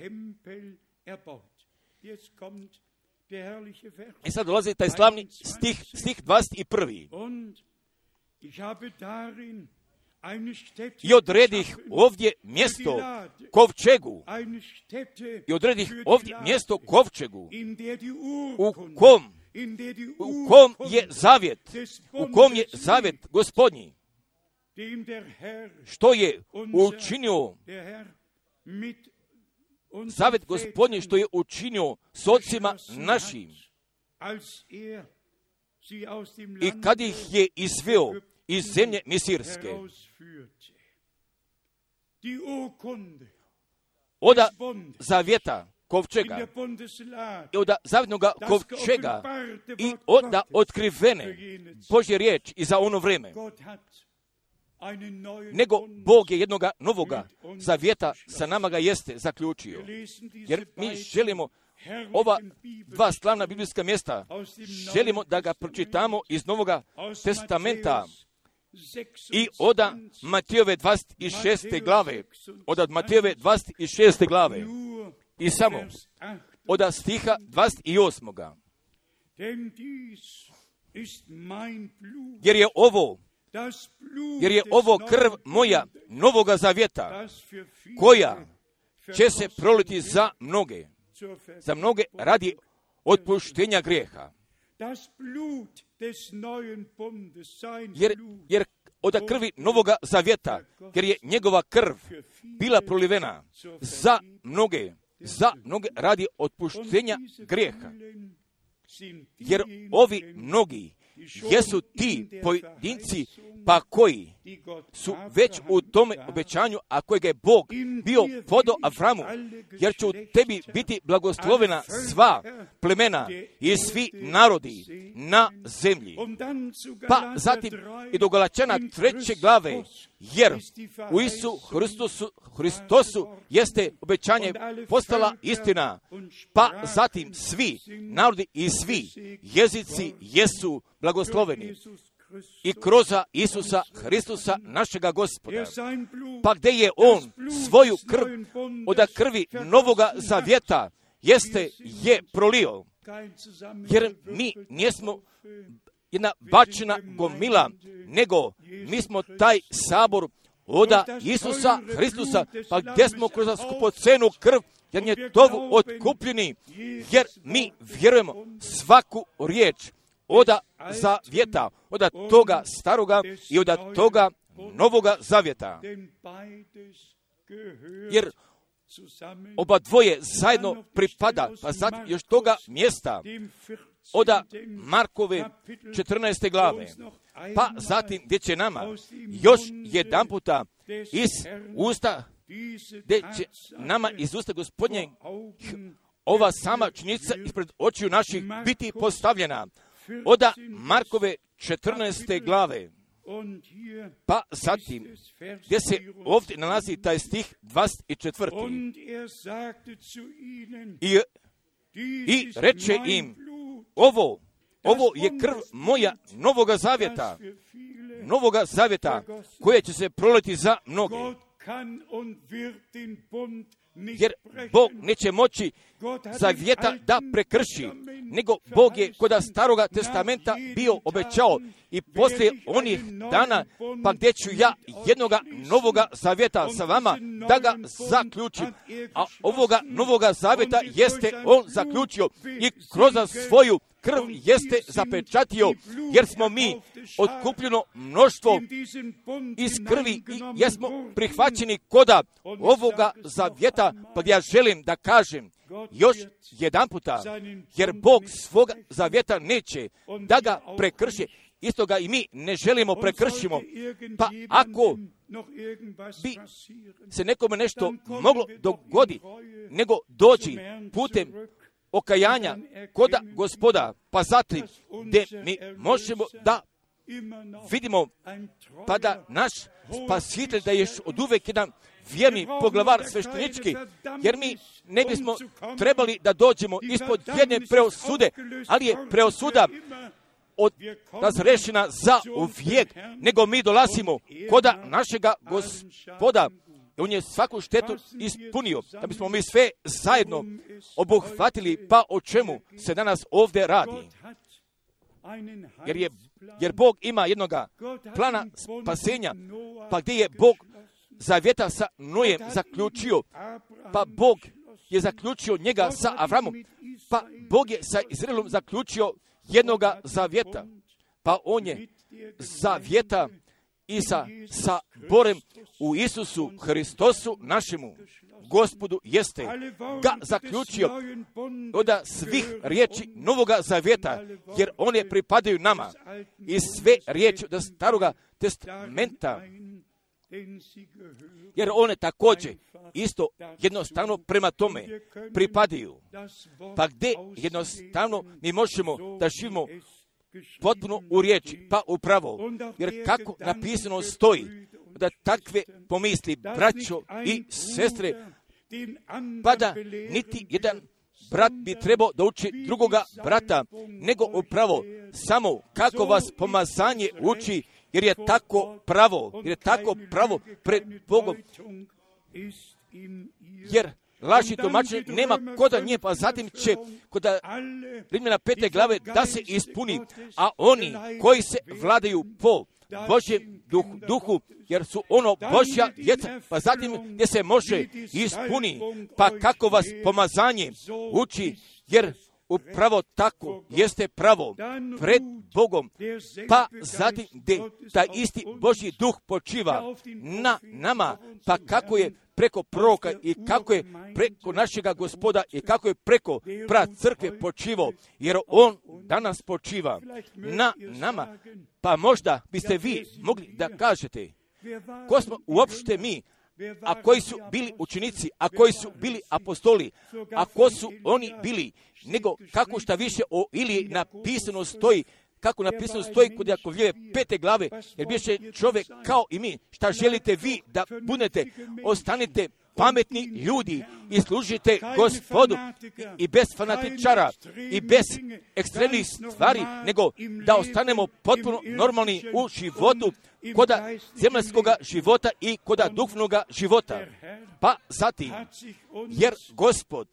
I sad dolazi taj slavni stih, stih dvadeset prvi. I odredih ovdje mjesto kovčegu, i odredih ovdje mjesto kovčegu, u kom, u kom je zavjet, u kom je zavjet Gospodnji, što je učinio zavjet Gospodnji, što je učinio s ocima našim, i kad ih je izveo iz zemlje Misirske. Oda zavjeta kovčega, i oda zavjetnog kovčega, i oda otkrivene Božje riječ i za ono vreme. Nego Bog je jednoga novoga zavjeta sa nama ga jeste zaključio. Jer mi želimo ova dva slavna biblijska mjesta, želimo da ga pročitamo iz Novoga testamenta i od Matejove dvadeset šeste glave, od Matejove dvadeset šeste glave, i samo od stiha dvadeset osam. Jer je ovo, jer je ovo krv moja novoga zavjeta, koja će se proliti za mnoge, za mnoge radi otpuštenja grijeha. Jer, jer od krvi novoga zavjeta, jer je njegova krv bila prolivena za mnoge, za mnoge radi otpuštenja grijeha. Jer ovi mnogi jesu ti pojedinci pa koji su već u tome obećanju, a kojega je Bog bio podao Avramu, jer će u tebi biti blagoslovena sva plemena i svi narodi na zemlji. Pa zatim i do Galačana treće glave, jer u Isu Hristosu, Hristosu jeste obećanje postala istina, pa zatim svi narodi i svi jezici jesu blagosloveni. I kroz Isusa Hristusa našega Gospoda. Pa gdje je On svoju krv od krvi novoga zavjeta jeste je prolio. Jer mi nismo jedna bačena gomila, nego mi smo taj sabor od Isusa Hristusa, pa gdje smo kroz skupocenu krv, jer je tovu otkupljeni, jer mi vjerujemo svaku riječ od zavjeta, od toga staroga i od toga novoga zavjeta. Jer oba dvoje zajedno pripada, pa zatim još toga mjesta od Markove četrnaeste glave, pa zatim gdje će nama još jedan puta iz usta, gdje će nama iz usta Gospodnje ova sama činjenica ispred očiju naših biti postavljena. Od Markove četrnaeste glave, pa zatim gdje se ovdje nalazi taj stih dvadeset četvrti. I, i reče im, ovo, ovo je krv moja novoga zavjeta, novoga zavjeta, koje će se proliti za mnoge. Jer Bog neće moći zavjeta da prekrši, nego Bog je kod staroga testamenta bio obećao i poslije onih dana, pa gdje ću ja jednoga novoga zavjeta sa vama da ga zaključim. A ovoga novoga zavjeta jeste on zaključio i kroz svoju krv jeste zapečatio, jer smo mi otkupljeno mnoštvo iz krvi i jesmo prihvaćeni koda ovoga zavjeta, pa ja želim da kažem još jedan puta, jer Bog svoga zavjeta neće da ga prekrši, isto ga i mi ne želimo prekršimo. Pa ako bi se nekome nešto moglo dogoditi, nego doći putem okajanja koda Gospoda, pa zatim gdje mi možemo da vidimo, pa da naš Spasitelj da je još od uvek jedan vjerni poglavar sveštenički, jer mi ne bismo trebali da dođemo ispod jedne preosude, ali je preosuda od razrešena za uvijek, nego mi dolazimo koda našega Gospoda. On je svaku štetu ispunio, da bismo mi sve zajedno obuhvatili, pa o čemu se danas ovdje radi. Jer, je, jer Bog ima jednoga plana spasenja, pa gdje je Bog zavjeta sa Nojem zaključio, pa Bog je zaključio njega sa Avramom, pa Bog je sa Izraelom zaključio jednoga zavjeta, pa on je zavjeta i sa, sa Borem u Isusu Hristosu našemu Gospodu jeste ga zaključio od svih riječi novoga zavjeta, jer one pripadaju nama i sve riječi od staroga testamenta, jer one također isto jednostavno prema tome pripadaju. Pa gdje jednostavno mi možemo da živimo potpuno u riječi, pa upravo, jer kako napisano stoji, da takve pomisli, braćo i sestre, pa da niti jedan brat bi trebao da uči drugoga brata, nego upravo samo kako vas pomazanje uči, jer je tako pravo, jer je tako pravo pred Bogom. Jer laži tumačenja, nema koda nje, pa zatim će kod Rimljana pete glave da se ispuni, a oni koji se vladaju po Božjem duhu, duhu, jer su ono Božja djeca, pa zatim gdje se može ispuni, pa kako vas pomazanje uči, jer upravo tako jeste pravo pred Bogom, pa zatim gdje taj isti Božji duh počiva na nama, pa kako je preko proroka i kako je preko našega Gospoda i kako je preko pra crkve počivao, jer on danas počiva na nama. Pa možda biste vi mogli da kažete, ko smo uopšte mi, a koji su bili učenici, a koji su bili apostoli, a ko su oni bili, nego kako šta više o Iliji napisano stoji, kako napisano stoji kod Jakovljeve pete glave, jer biše čovjek kao i mi. Šta želite vi da budete? Ostanite pametni ljudi i služite Gospodu i bez fanatičara i bez ekstremnih stvari, nego da ostanemo potpuno normalni u životu, koda zemaljskoga života i koda duhovnoga života. Pa zatim, jer Gospod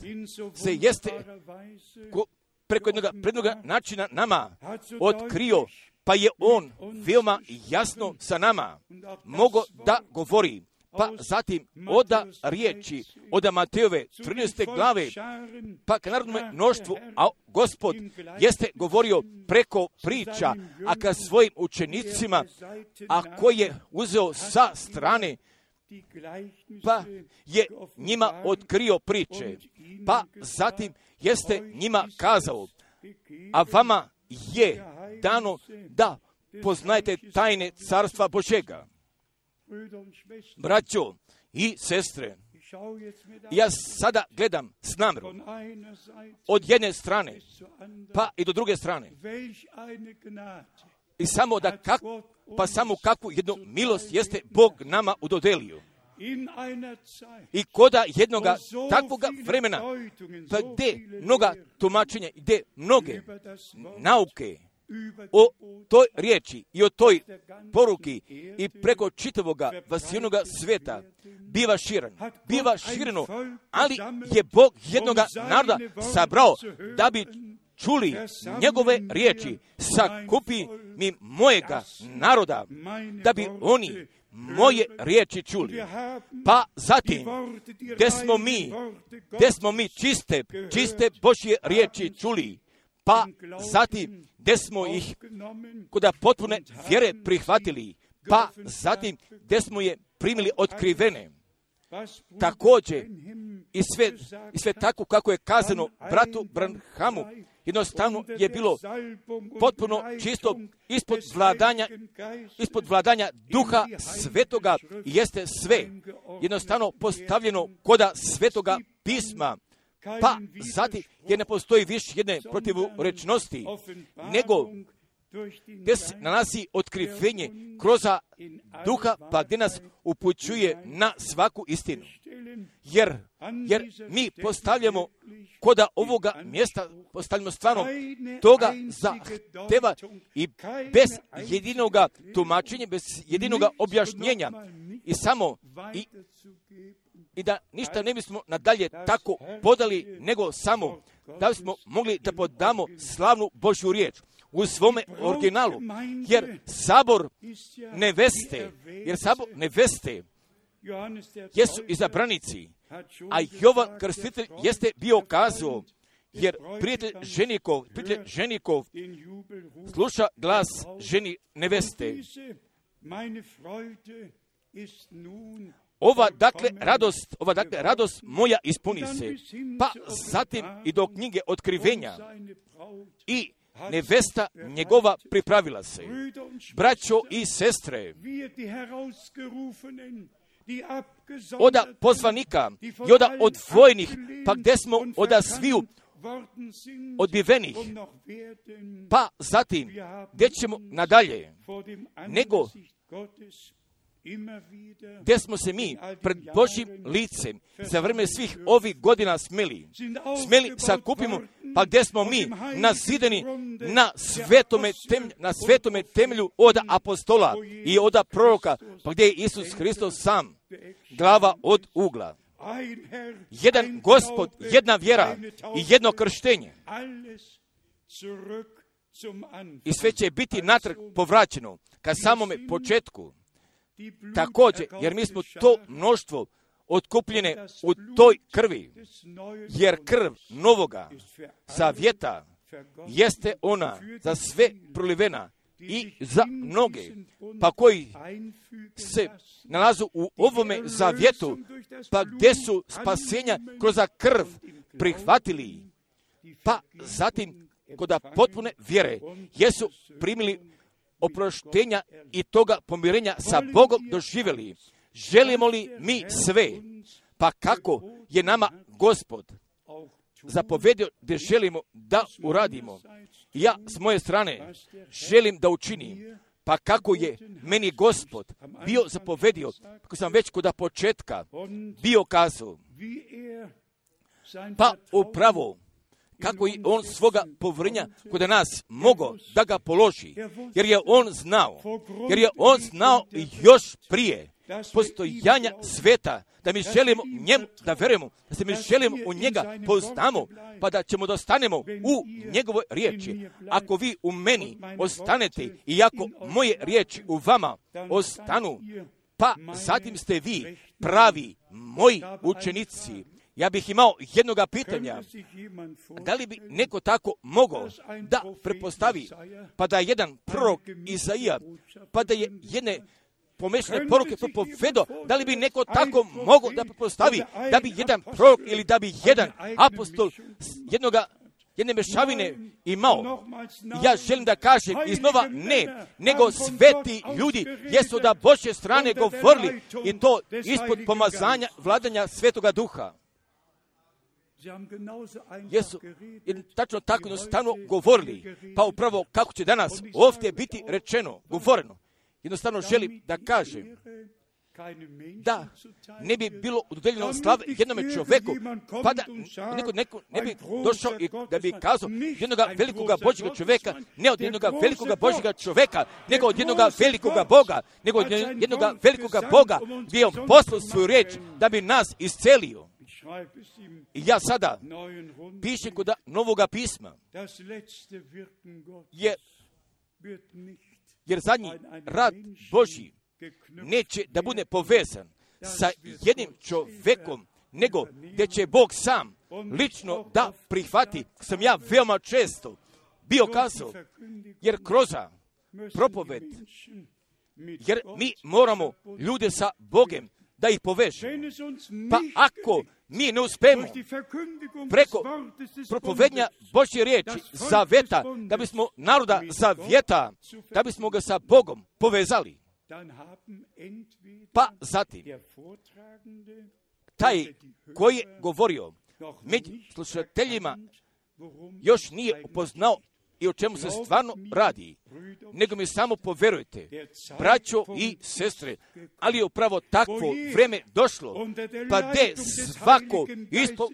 se jeste ko, preko jednog prednoga načina nama otkrio, pa je on veoma jasno sa nama mogo da govori. Pa zatim oda riječi, oda Matejove trinaeste glave, pa ka narodnome mnoštvu, a Gospod jeste govorio preko priča, a ka svojim učenicima, a koji je uzeo sa strane, pa je njima otkrio priče, pa zatim jeste njima kazao, a vama je dano da poznajete tajne carstva Božega. Braćo i sestre, ja sada gledam s namjerom od jedne strane pa i do druge strane i samo da kak, pa samo kakvu jednu milost jeste Bog nama udodelio. I koda jednoga takvoga vremena, pa gdje mnoga tumačenja, gdje mnoge nauke o toj riječi i o toj poruki i preko čitavoga vasijenoga sveta biva širen, biva šireno, ali je Bog jednoga naroda sabrao da bi čuli njegove riječi, sakupi mi mojega naroda, da bi oni moje riječi čuli. Pa zatim, gdje smo mi, gdje smo mi čiste, čiste Božje riječi čuli, pa zatim gdje smo ih kod potpune vjere prihvatili, pa zatim gdje smo je primili otkrivene. Također i sve, i sve tako kako je kazano bratu Branhamu, jednostavno je bilo potpuno čisto ispod vladanja, ispod vladanja Duha Svetoga i jeste sve jednostavno postavljeno koda Svetoga pisma. Pa zatim jer ne postoji više jedne protivrečnosti, nego gdje se nalazi otkrivenje kroz Duha, pa gdje nas upućuje na svaku istinu. Jer, jer mi postavljamo koda ovoga mjesta, postavljamo stvarno toga zahteva i bez jedinoga tumačenja, bez jedinoga objašnjenja i samo i i da ništa ne bismo nadalje tako podali, nego samo da bismo mogli da podamo slavnu Božju riječ u svome originalu, jer sabor neveste, jer sabor neveste jesu izabranici, a Jovan Krstitelj jeste bio kazao, jer prijatelj ženikov, prijatelj ženikov sluša glas ženi neveste. Ova dakle radost, ova dakle radost moja ispuni se. Pa zatim i do knjige otkrivenja i nevesta njegova pripravila se. Braćo i sestre, oda pozvanika i oda odvojenih, pa gdje smo oda sviju odbivenih, pa zatim gdje ćemo nadalje, nego gdje smo se mi pred Božjim licem za vreme svih ovih godina smeli, smeli sakupimo, pa gdje smo mi nazidani na svetome, tem, na svetome temelju od apostola i od proroka, pa gdje je Isus Hristos sam, glava od ugla. jedan Gospod, jedna vjera i jedno krštenje. I sve će biti natrag povraćeno ka samome početku. Također, jer mi smo to mnoštvo otkupljene u toj krvi, jer krv novoga zavjeta jeste ona za sve prolivena i za mnoge, pa koji se nalazu u ovome zavjetu, pa gdje su spasenja kroz krv prihvatili, pa zatim kod potpune vjere jesu primili oproštenja i toga pomirenja sa Bogom doživjeli. Želimo li mi sve, pa kako je nama Gospod zapovedio da želimo da uradimo. Ja s moje strane želim da učinim, pa kako je meni Gospod bio zapovedio, kako sam već kod početka bio kazao, pa upravo kako je on svoga povjerenja kod nas mogao da ga položi, jer je on znao, jer je on znao još prije postojanja sveta, da mi želimo njemu da verujemo, da se mi želimo u njega poznamo, pa da ćemo da ostanemo u njegovoj riječi. Ako vi u meni ostanete i ako moje riječi u vama ostanu, pa zatim ste vi pravi moji učenici. Ja bih imao jednoga pitanja, da li bi neko tako mogao da prepostavi, pa da je jedan prorok Izaija, pa da je jedne pomešane poruke propovedo, da li bi neko tako mogao da prepostavi, da bi jedan prorok ili da bi jedan apostol jednoga jedne mešavine imao. Ja želim da kažem iznova ne, nego sveti ljudi jesu da Božje strane govorili i to ispod pomazanja vladanja Svetoga Duha. Jesu tačno tako jednostavno govorili, pa upravo kako će danas ovdje biti rečeno, govoreno. Jednostavno želim da kažem da ne bi bilo udodeljeno slave jednome čovjeku, pa da neko, neko ne bi došao i da bi kazao jednoga velikoga Božjega čovjeka, ne od jednoga velikoga Božjega čovjeka, nego od jednoga velikoga Boga, nego od jednoga velikoga Boga gdje je on poslao svoju riječ da bi nas iscelio. I ja sada pišem kod Novoga pisma, jer, jer zadnji rad Božji neće da bude povezan sa jednim čovjekom, nego gdje će Bog sam lično da prihvati, sam ja veoma često bio kazao, jer kroz propoved, jer mi moramo ljude sa Bogem da ih povežemo. Pa ako mi ne uspemo preko propovednja Božje riječi zaveta, da bismo naroda zavjeta, da bismo ga sa Bogom povezali, pa zatim taj koji je govorio među slušateljima još nije upoznao i o čemu se stvarno radi, nego mi samo poverujte, braćo i sestre, ali je upravo takvo vreme došlo, pa gdje svako ispod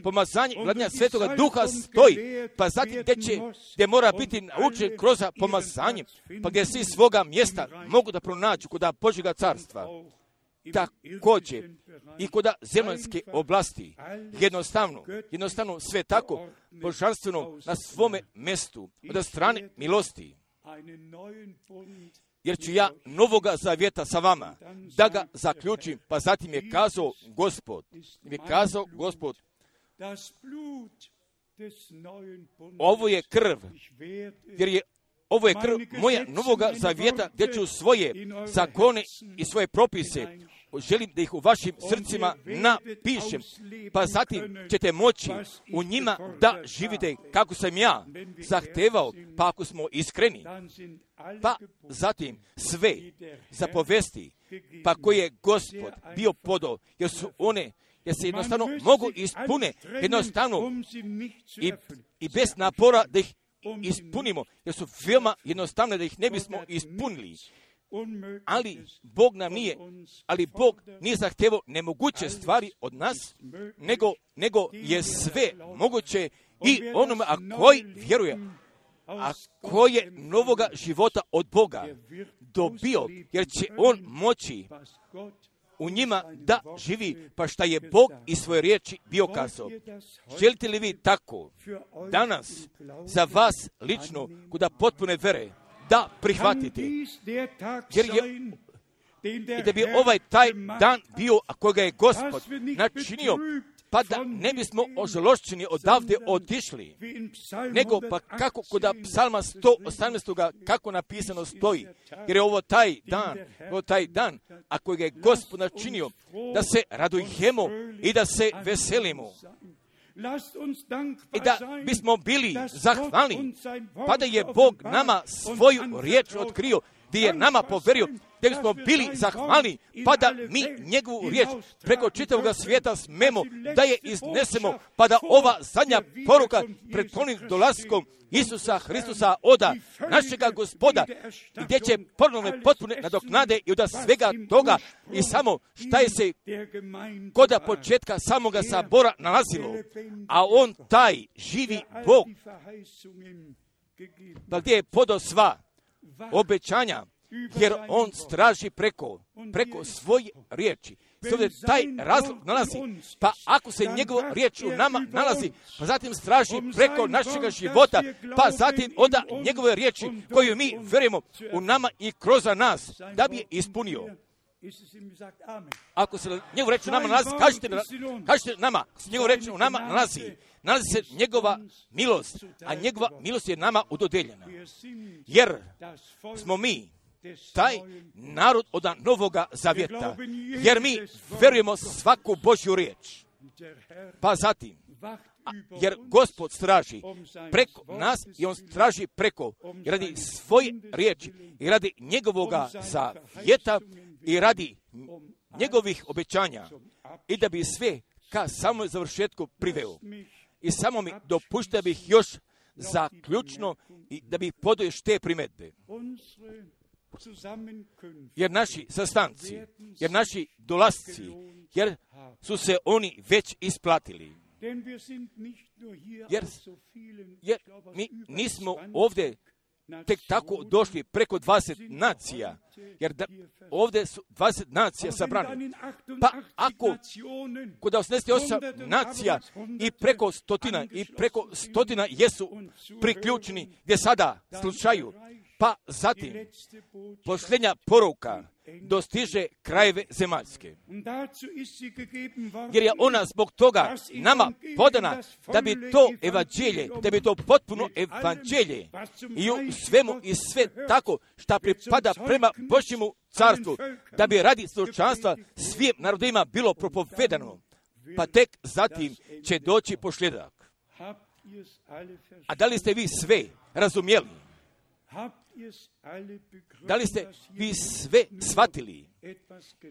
pomazanje vladanja Svetoga Duha stoji, pa zatim gdje će, gdje mora biti naučen kroz pomazanje, pa gdje svi svoga mjesta mogu da pronađu kod Božjega carstva. Također i kod zemaljske oblasti, jednostavno, jednostavno sve tako božanstveno na svome mjestu, od strane milosti. Jer ću ja novoga zavjeta sa vama, da ga zaključim, pa zatim je kazao Gospod, je kazao Gospod, ovo je krv, jer je ovo je krv moja novoga zavjeta, gdje ću svoje zakone i svoje propise, želim da ih u vašim srcima napišem, pa zatim ćete moći u njima da živite kako sam ja zahtevao, pa ako smo iskreni, pa zatim sve zapovesti, pa koje je Gospod bio podao, jer su one, jer se jednostavno mogu ispune, jednostavno i, i bez napora da ih ispunimo, jer su veoma jednostavne da ih ne bismo ispunili. Ali Bog nam nije, ali Bog nije zahtevao nemoguće stvari od nas, nego, nego je sve moguće i onome, a koji vjeruje, a koji je novoga života od Boga dobio, jer će on moći u njima da živi, pa šta je Bog iz svoje riječi bio kazao. Želite li vi tako danas za vas lično, kuda potpune vere, da prihvatite? Jer je i da bi ovaj taj dan bio, a koga je Gospod načinio, pa da ne bismo ožalošćeni odavde otišli, nego pa kako kod psalma sto osamnaest. kako napisano stoji, jer je ovo taj dan, ovo taj dan, a kojega je Gospod načinio, da se radujemo i da se veselimo. I da bismo bili zahvalni, pa da je Bog nama svoju riječ otkrio, gdje je nama poverio, da bismo bili zahvalni, pa da mi njegovu riječ preko čitavog svijeta smemo da je iznesemo, pa da ova zadnja poruka pred ponovnim dolaskom Isusa Hristusa oda našega Gospoda, gdje će ponovne potpune nadoknade i od svega toga i samo šta je se koda početka samoga sabora nalazilo, a on taj živi Bog, pa gdje je podao sva obećanja, jer on straži preko, preko svoje riječi. Ovdje taj razlog nalazi, pa ako se njegova riječ u nama nalazi, pa zatim straži preko našega života, pa zatim onda njegove riječi koju mi vjerujemo u nama i kroz nas, da bi je ispunio. Ako se njegova riječ u nama nalazi, kažite, kažite nama, ako se njegova riječ u nama nalazi, nalazi se njegova milost, a njegova milost je nama udodeljena. Jer smo mi taj narod od Novoga Zavjeta, jer mi verujemo svaku Božju riječ. Pa zatim, a, jer Gospod straži preko nas i on straži preko i radi svoje riječi i radi njegovoga zavjeta i radi njegovih obećanja i da bi sve ka samoj završetku priveo. I samo mi dopušta bih još zaključno i da bih podao još te primjedbe. Jer naši sastanci, jer naši dolasci, jer su se oni već isplatili. Jer, jer mi nismo ovdje tek tako došli preko dvadeset nacija, jer da, ovdje su dvadeset nacija sabrane. Pa ako kod osamdeset osam nacija i preko stotina, i preko stotina jesu priključeni gdje sada slušaju, pa zatim posljednja poruka dostiže krajeve zemaljske. Jer je ona zbog toga nama podana da bi to evanđelje, da bi to potpuno evanđelje i u svemu i sve tako šta pripada prema Božjemu carstvu, da bi radi slučanstva svim narodima bilo propovedano, pa tek zatim će doći posljedak. A da li ste vi sve razumjeli? Da li ste vi sve shvatili?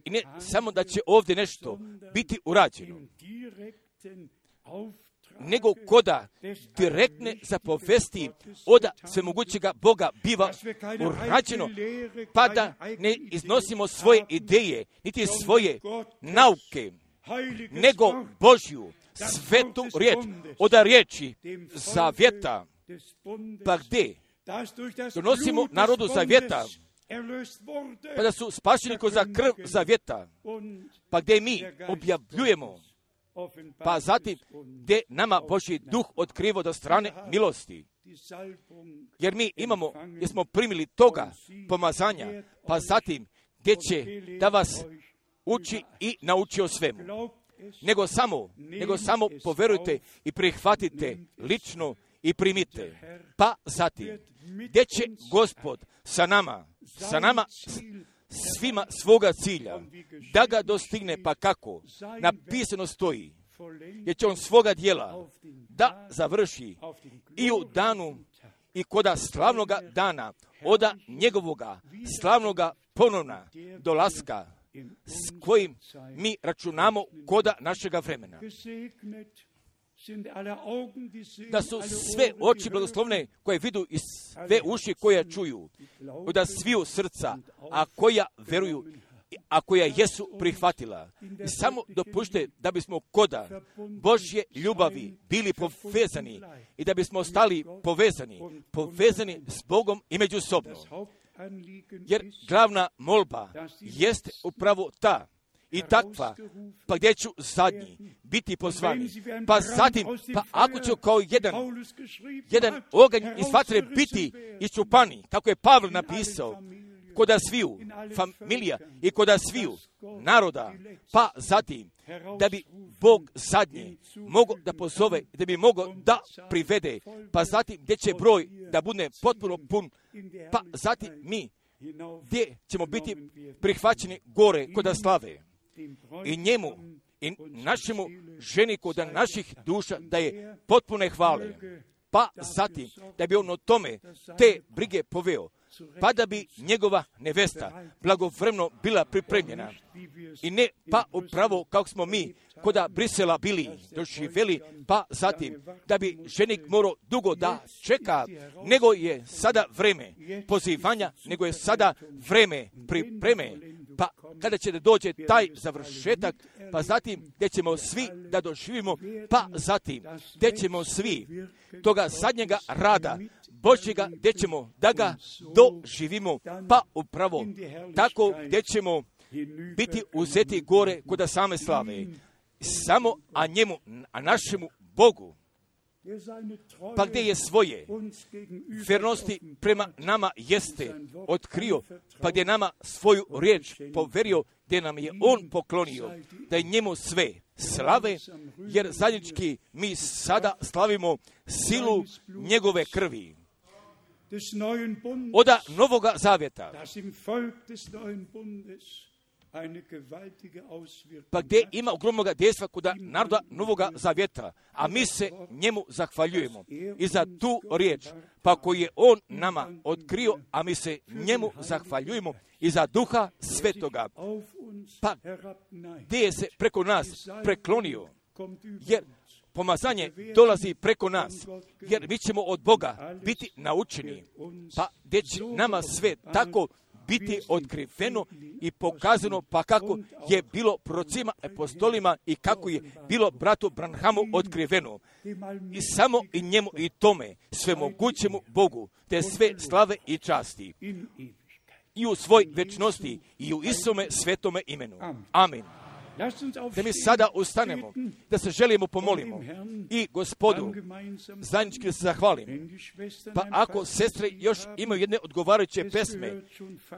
I ne samo da će ovdje nešto biti urađeno, nego koda direktne zapovesti od svemogućega Boga biva urađeno, pa da ne iznosimo svoje ideje, niti svoje nauke, nego Božju svetu riječ, od riječi zavjeta, pa gdje donosimo narodu zavjeta, pa da su spašeni kroz krv zavjeta, pa gdje mi objavljujemo, pa zatim gdje nama Božji duh otkriva do strane milosti. Jer mi imamo, jer smo primili toga pomazanja, pa zatim gdje će da vas uči i nauči o svemu. Nego samo, nego samo poverujte i prihvatite lično i primite. Pa zatim, gdje će Gospod sa nama, sa nama svima svoga cilja, da ga dostigne, pa kako napisano stoji, jer će on svoga dijela da završi i u danu i koda slavnoga dana, oda njegovoga slavnoga ponovna dolaska, s kojim mi računamo koda našega vremena. Da su sve oči blagoslovne koje vidu i sve uši koje čuju, da sviju srca, a koja veruju, a koja jesu prihvatila. I samo dopušte da bismo koda Božje ljubavi bili povezani i da bismo ostali povezani, povezani s Bogom i međusobno. Jer glavna molba jeste upravo ta, i takva, pa gdje ću zadnji biti pozvani. Pa zatim, pa ako ću kao jedan, jedan oganj iz vatre biti iščupani, kako je Pavle napisao, koda sviju familija i koda sviju naroda, pa zatim, da bi Bog zadnje mogao da pozove, da bi mogao da privede, pa zatim gdje će broj da bude potpuno pun, pa zatim mi gdje ćemo biti prihvaćeni gore koda slave. I njemu, i našemu ženiku da naših duša da je potpune hvale, pa zatim da bi on o tome te brige poveo, pa da bi njegova nevesta blagovremeno bila pripremljena. I ne pa upravo kako smo mi koda Brisela bili doživjeli, pa zatim da bi ženik morao dugo da čeka, nego je sada vreme pozivanja, nego je sada vreme pripreme, pa kada će da dođe taj završetak, pa zatim gdje ćemo svi da doživimo, pa zatim gdje ćemo svi toga zadnjega rada Božjega, gdje ćemo da ga doživimo, pa upravo tako gdje ćemo biti uzeti gore koda same slave, samo a njemu, a našemu Bogu, pa gdje je svoje vjernosti prema nama jeste otkrio, pa gdje nama svoju riječ poverio, gdje nam je on poklonio, da je njemu sve slave, jer zajednički mi sada slavimo silu njegove krvi. Oda Novoga Zavjeta, pa gdje ima ogromnoga dejstva kod naroda Novoga Zavjeta, a mi se njemu zahvaljujemo i za tu riječ, pa koju je on nama otkrio, a mi se njemu zahvaljujemo i za Duha Svetoga, pa gdje je se preko nas preklonio, jer pomazanje dolazi preko nas, jer mi ćemo od Boga biti naučeni, pa gdje će nama sve tako biti otkriveno i pokazano, pa kako je bilo prorocima, apostolima i kako je bilo bratu Branhamu otkriveno. I samo i njemu i tome svemogućemu Bogu te sve slave i časti i u svoj večnosti i u Isome svetome imenu. Amin. Da mi sada ustanemo, da se želimo pomolimo i Gospodu zajednički da se zahvalim. Pa ako sestre još imaju jedne odgovarajuće pesme,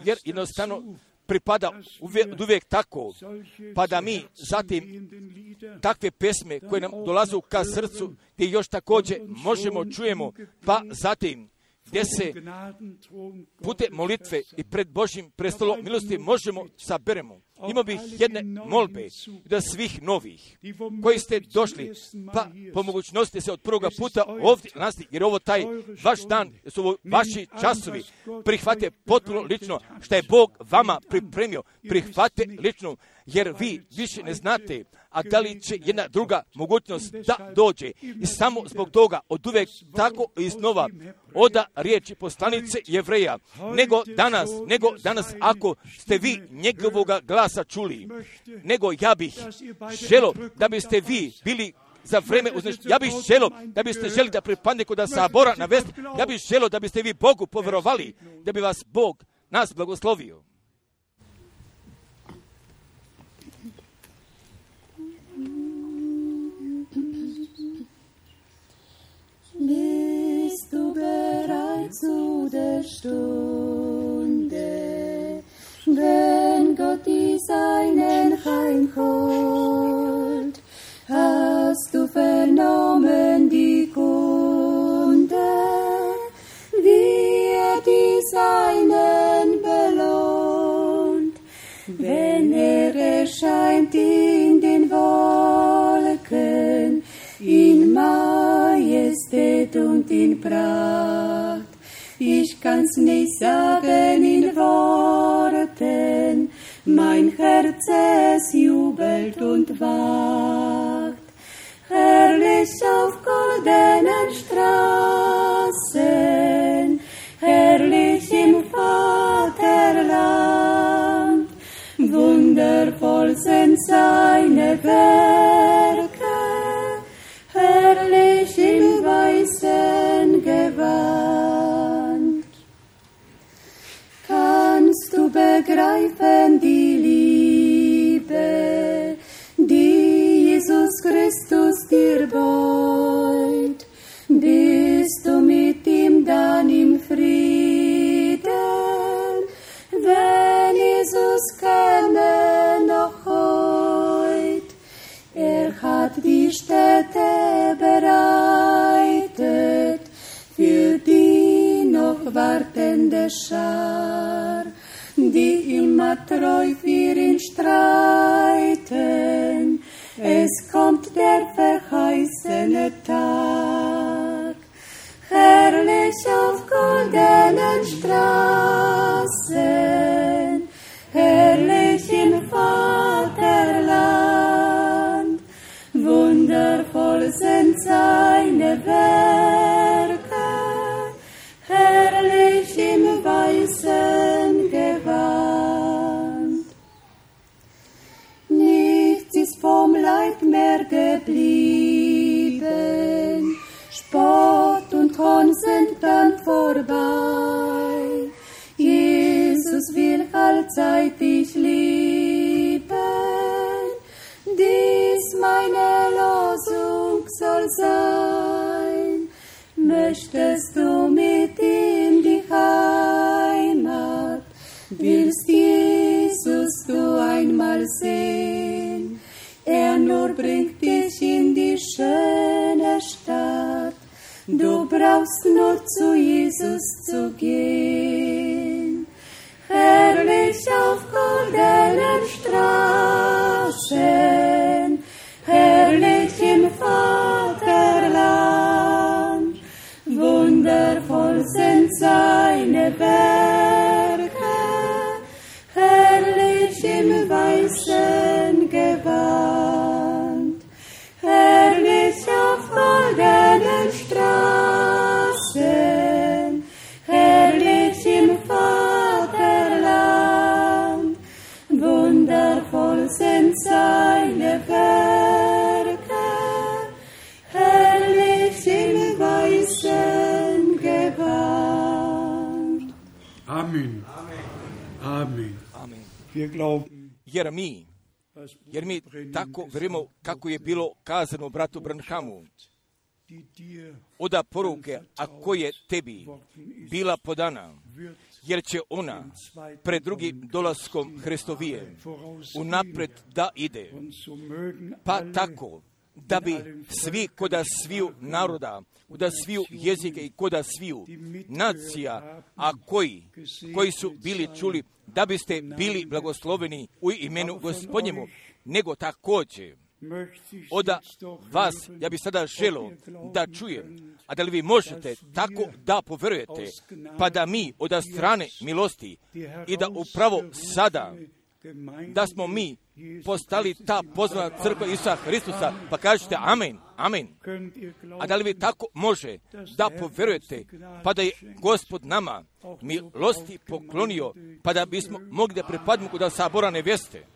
jer jednostavno pripada uvijek, uvijek tako, pa da mi zatim takve pesme koje nam dolazu ka srcu, gdje još također možemo čujemo, pa zatim gdje se putem molitve i pred Božjim prestolom milosti možemo saberemo. Imao bih jedne molbe da svih novih koji ste došli, pa po mogućnosti se od prvoga puta ovdje nasti, jer ovo taj vaš dan, su ovo vaši časovi, prihvate potpuno lično što je Bog vama pripremio, prihvate lično, jer vi više ne znate, a da li će jedna druga mogućnost da dođe. I samo zbog toga od uvijek tako iznova oda riječi poslanice Jevreja, nego danas, nego danas ako ste vi njegovoga glasa čuli, nego ja bih želo da biste vi bili za vreme uznešenja. Ja bih želo da biste želi da pripadne kod sabora na vest. Ja bih želo da biste vi Bogu povjerovali, da bi vas Bog nas blagoslovio. Bist du bereit zu der Stunde, wenn Gott die Seinen heimholt? Hast du vernommen die Kunde, wie er die Seinen belohnt, wenn er erscheint in den Wolken, in Majestät und in Pracht. Ich kann's nicht sagen in Worten, mein Herz es jubelt und wacht. Herrlich auf goldenen Straßen, herrlich im Vaterland, wundervoll sind seine Werke, herrlich im weißen Gewand. Kannst du begreifen die Liebe Schar, die immer treu für ihn streiten. Es kommt der verheißene Tag, herrlich auf goldenen Straßen, herrlich im Vaterland. Wundervoll sind seine Werke, herrlich im weißen Gewand. Nichts ist vom Leid mehr geblieben, Spott und Hohn sind dann vorbei. Jesus will allzeit dich lieben, dies meine Losung soll sein. Möchtest du mit ihm die Heimat, willst Jesus du einmal sehen? Er nur bringt dich in die schöne Stadt, du brauchst nur zu Jesus zu gehen. Herrlich auf goldenen Straßen, herrlich im Vaterland. Wundervoll sind seine Werke, herrlich im weißen Gewand. Herrlich auf goldenen Straßen, herrlich im Vaterland. Wundervoll sind seine Werke, herrlich im weißen Gewand. Amen. Amen. Amen. Wir glauben, Jer mi, jer mi tako verimo kako je bilo kazano bratu Branhamu, oda poruke, a koje tebi bila podana, jer će ona pred drugim dolaskom Hristovije unapred da ide, pa tako da bi svi koda sviju naroda, koda sviju jezike i koda sviju nacija, a koji, koji su bili čuli, da biste bili blagosloveni u imenu Gospodnjemu, nego također od vas, ja bih sada želio da čujem, a da li vi možete tako da poverujete, pa da mi od strane milosti i da upravo sada, da smo mi postali ta pozvana crkva Isusa Hristusa, pa kažete amen, amen. A da li vi tako može da poverujete, pa da je Gospod nama milosti poklonio, pa da bismo mogli da pripadimo kod sabora nevjeste.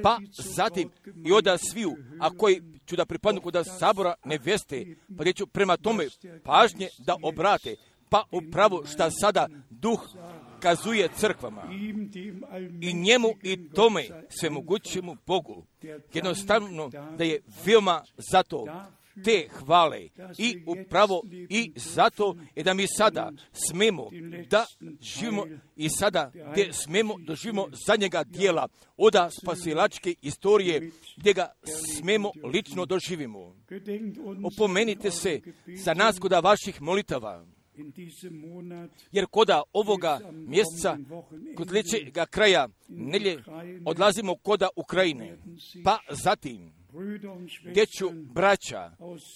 Pa zatim i oda sviju, a koji ću da pripadnu kod sabora nevjeste, pa da ću prema tome pažnje da obrate, pa upravo šta sada duh kazuje crkvama i njemu i tome svemogućemu Bogu, jednostavno da je veoma zato te hvale i upravo i zato je da mi sada smemo da živimo i sada gdje smemo da živimo zadnjega dijela oda spasilačke istorije gdje ga smemo lično doživimo. Opomenite se za nas koda vaših molitava, jer koda ovoga mjeseca, kod sljedećega kraja nelje, odlazimo koda Ukrajine, pa zatim gdje ću braća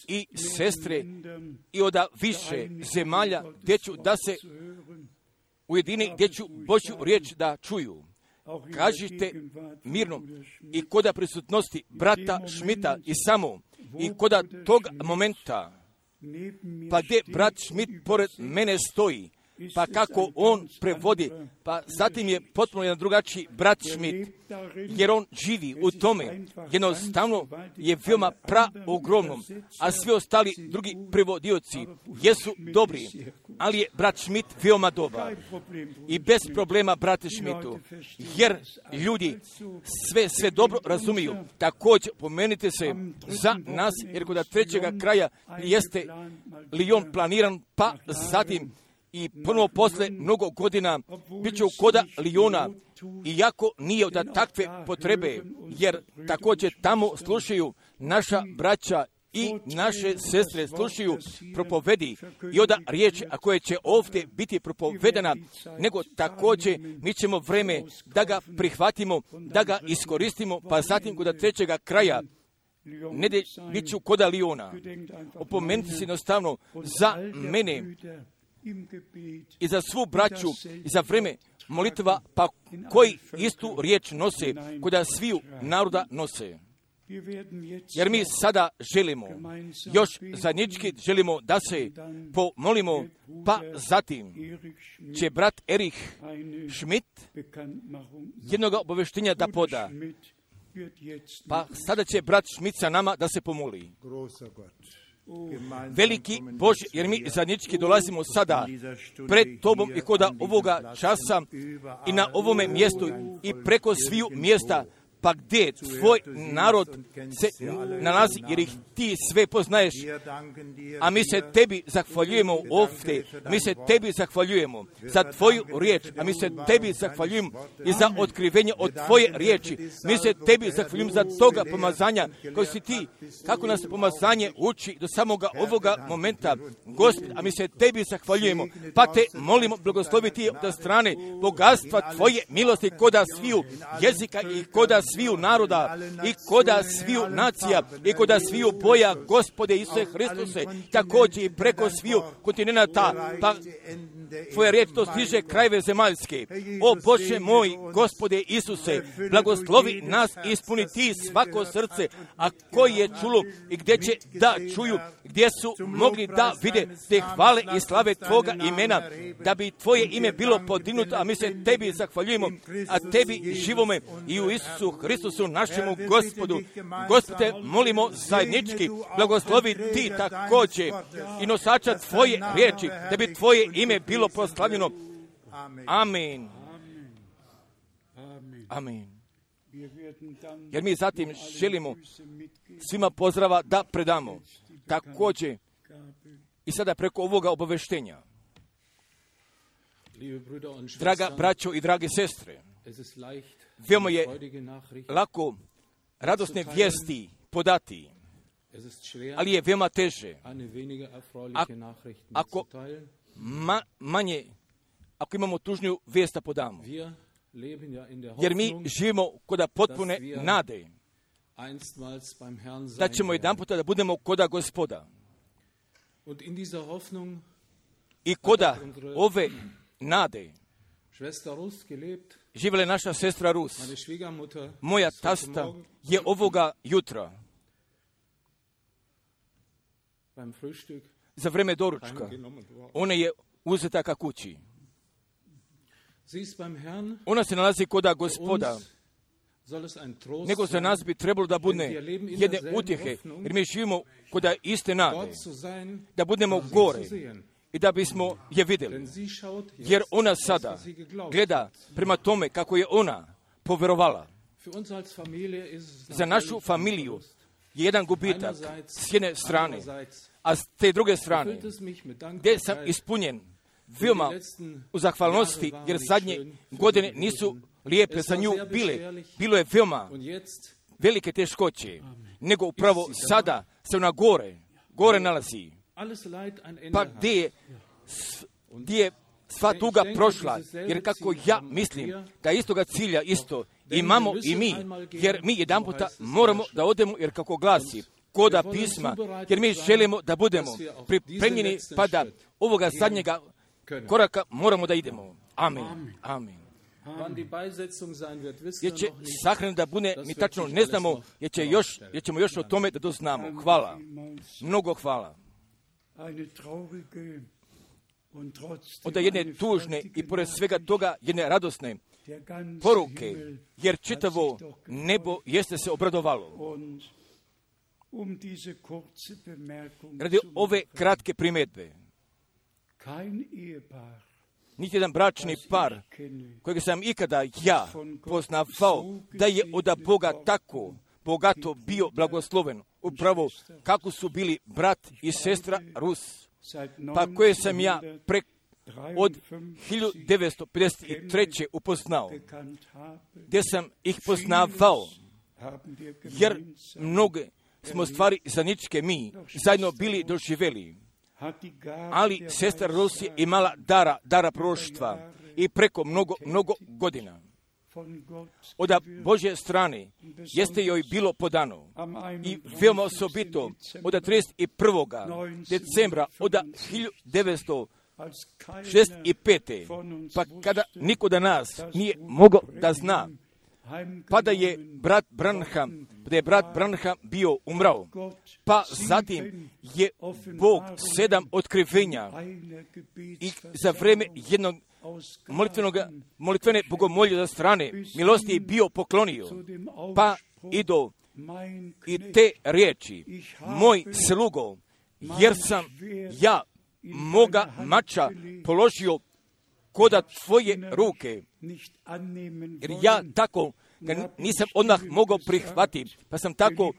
i sestre i od više zemalja, gdje ću da se ujedini, gdje ću Božju riječ da čuju. Kažite mirno i koda prisutnosti brata Šmita i samo i koda tog momenta, pa gdje brat Šmit pored mene stoji, pa kako on prevodi, pa zatim je potpuno jedan drugačiji brat Šmit, jer on živi u tome, jednostavno je veoma pra ogromnom, a svi ostali drugi prevodioci jesu dobri, ali je brat Šmit veoma dobar. I bez problema, brate Šmitu, jer ljudi sve, sve dobro razumiju. Također pomenite se za nas, jer kod trećega kraja jeste Lijon planiran, pa zatim i ponovo posle mnogo godina bit će u koda Lijona, iako nije od takve potrebe, jer također tamo slušaju naša braća i naše sestre slušaju propovedi i onda riječ, a koje će ovdje biti propovedana, nego također mi ćemo vreme da ga prihvatimo, da ga iskoristimo, pa zatim kod trećega kraja, ne de, bit ću koda Liona. Opomenuti se jednostavno za mene i za svu braću i za vreme molitva, pa koji istu riječ nose, koda sviju naroda nose. Jer mi sada želimo, još zajednički želimo da se pomolimo, pa zatim će brat Erich Schmidt jednog obavještenja da poda. Pa sada će brat Schmidt sa nama da se pomoli. Veliki Bože, jer mi zajednički dolazimo sada pred Tobom i koda ovoga časa i na ovome mjestu i preko sviju mjesta, pa gdje tvoj narod se nalazi, jer ih ti sve poznaješ, a mi se tebi zahvaljujemo ovdje, mi se tebi zahvaljujemo za tvoju riječ, a mi se tebi zahvaljujemo i za otkrivenje od tvoje riječi, mi se tebi zahvaljujemo za toga pomazanja koji si ti, kako nas pomazanje uči do samoga ovoga momenta, Gospod, a mi se tebi zahvaljujemo, pa te molimo blagosloviti od strane bogatstva tvoje milosti koda sviju jezika i koda sviju naroda i koda sviju nacija i koda sviju boja, Gospode Isuse Hristuse, također i preko sviju kontinenta, pa tvoja riječ to stiže krajeve zemaljske. O Bože moj, Gospode Isuse, blagoslovi nas i ispuni ti svako srce, a koji je čulo i gdje će da čuju, gdje su mogli da vide te hvale i slave tvoga imena, da bi tvoje ime bilo podignuto, a mi se tebi zahvaljujemo, a tebi živome i u Isusu Hristusu našemu Gospodu. Gospode, molimo zajednički, blagoslovi ti također i nosača tvoje riječi, da bi tvoje ime bilo proslavljeno. Amen. Amen. Jer mi zatim želimo svima pozdrava da predamo. Također i sada preko ovoga obaveštenja. Draga braćo i drage sestre, veoma je lako radosne vijesti podati, ali je veoma teže ako ma, manje, ako imamo tužniju vijest da podamo. Jer mi živimo koda potpune nade da ćemo jedan puta da budemo koda Gospoda. I koda ove nade živjela je naša sestra Rus. Moja tasta je ovoga jutra za vreme doručka. Ona je uzeta ka kući. Ona se nalazi koda Gospoda. Nego za nas bi trebalo da bude jedne utjehe, jer mi živimo koda iste nade, da budemo gore i da bismo je vidjeli. Jer ona sada gleda prema tome kako je ona povjerovala. Za našu familiju je jedan gubitak s jedne strane, a s te druge strane, gdje sam ispunjen veoma u zahvalnosti, jer zadnje godine nisu lijepe za nju bile. Bilo je veoma velike teškoće, nego upravo sada se ona gore, gore nalazi. Pa gdje je, gdje je sva tuga prošla, jer kako ja mislim da istoga cilja isto imamo i mi, jer mi jedan puta moramo da odemo, jer kako glasi koda pisma, jer mi želimo da budemo pripremljeni, pa da ovoga zadnjega koraka moramo da idemo. Amen. Amen. Jer će sahran da bude, mi tačno ne znamo, jer, će još, jer ćemo još o tome da doznamo. Hvala. Mnogo hvala. Onda jedne tužne i pored svega toga jedne radosne poruke, jer čitavo nebo jeste se obradovalo. Radi ove kratke primjedbe, niti jedan bračni par kojeg sam ikada ja poznavao da je od Boga tako bogato bio blagosloven, upravo kako su bili brat i sestra Rus, pa koje sam ja pre, od hiljadu devetsto pedeset treće upoznao, gdje sam ih poznavao, jer mnoge smo stvari zajedničke mi zajedno bili doživjeli. Ali sestra Rus je imala dara, dara proroštva i preko mnogo, mnogo godina. Od Božje strane jeste joj bilo podano i veoma osobito od trideset prvog decembra od hiljadu devetsto šezdeset pete. Pa kada niko da nas nije mogao da zna, pa da je brat Branham, da je brat Branham bio umrao, pa zatim je Bog sedam otkrivenja i za vreme jednog molitvene bogomolje za strane milosti je bio poklonio, pa i do i te riječi, moj slugo, jer sam ja moga mača položio koda tvoje ruke, jer ja tako ga nisam odmah mogao prihvatiti, pa sam tako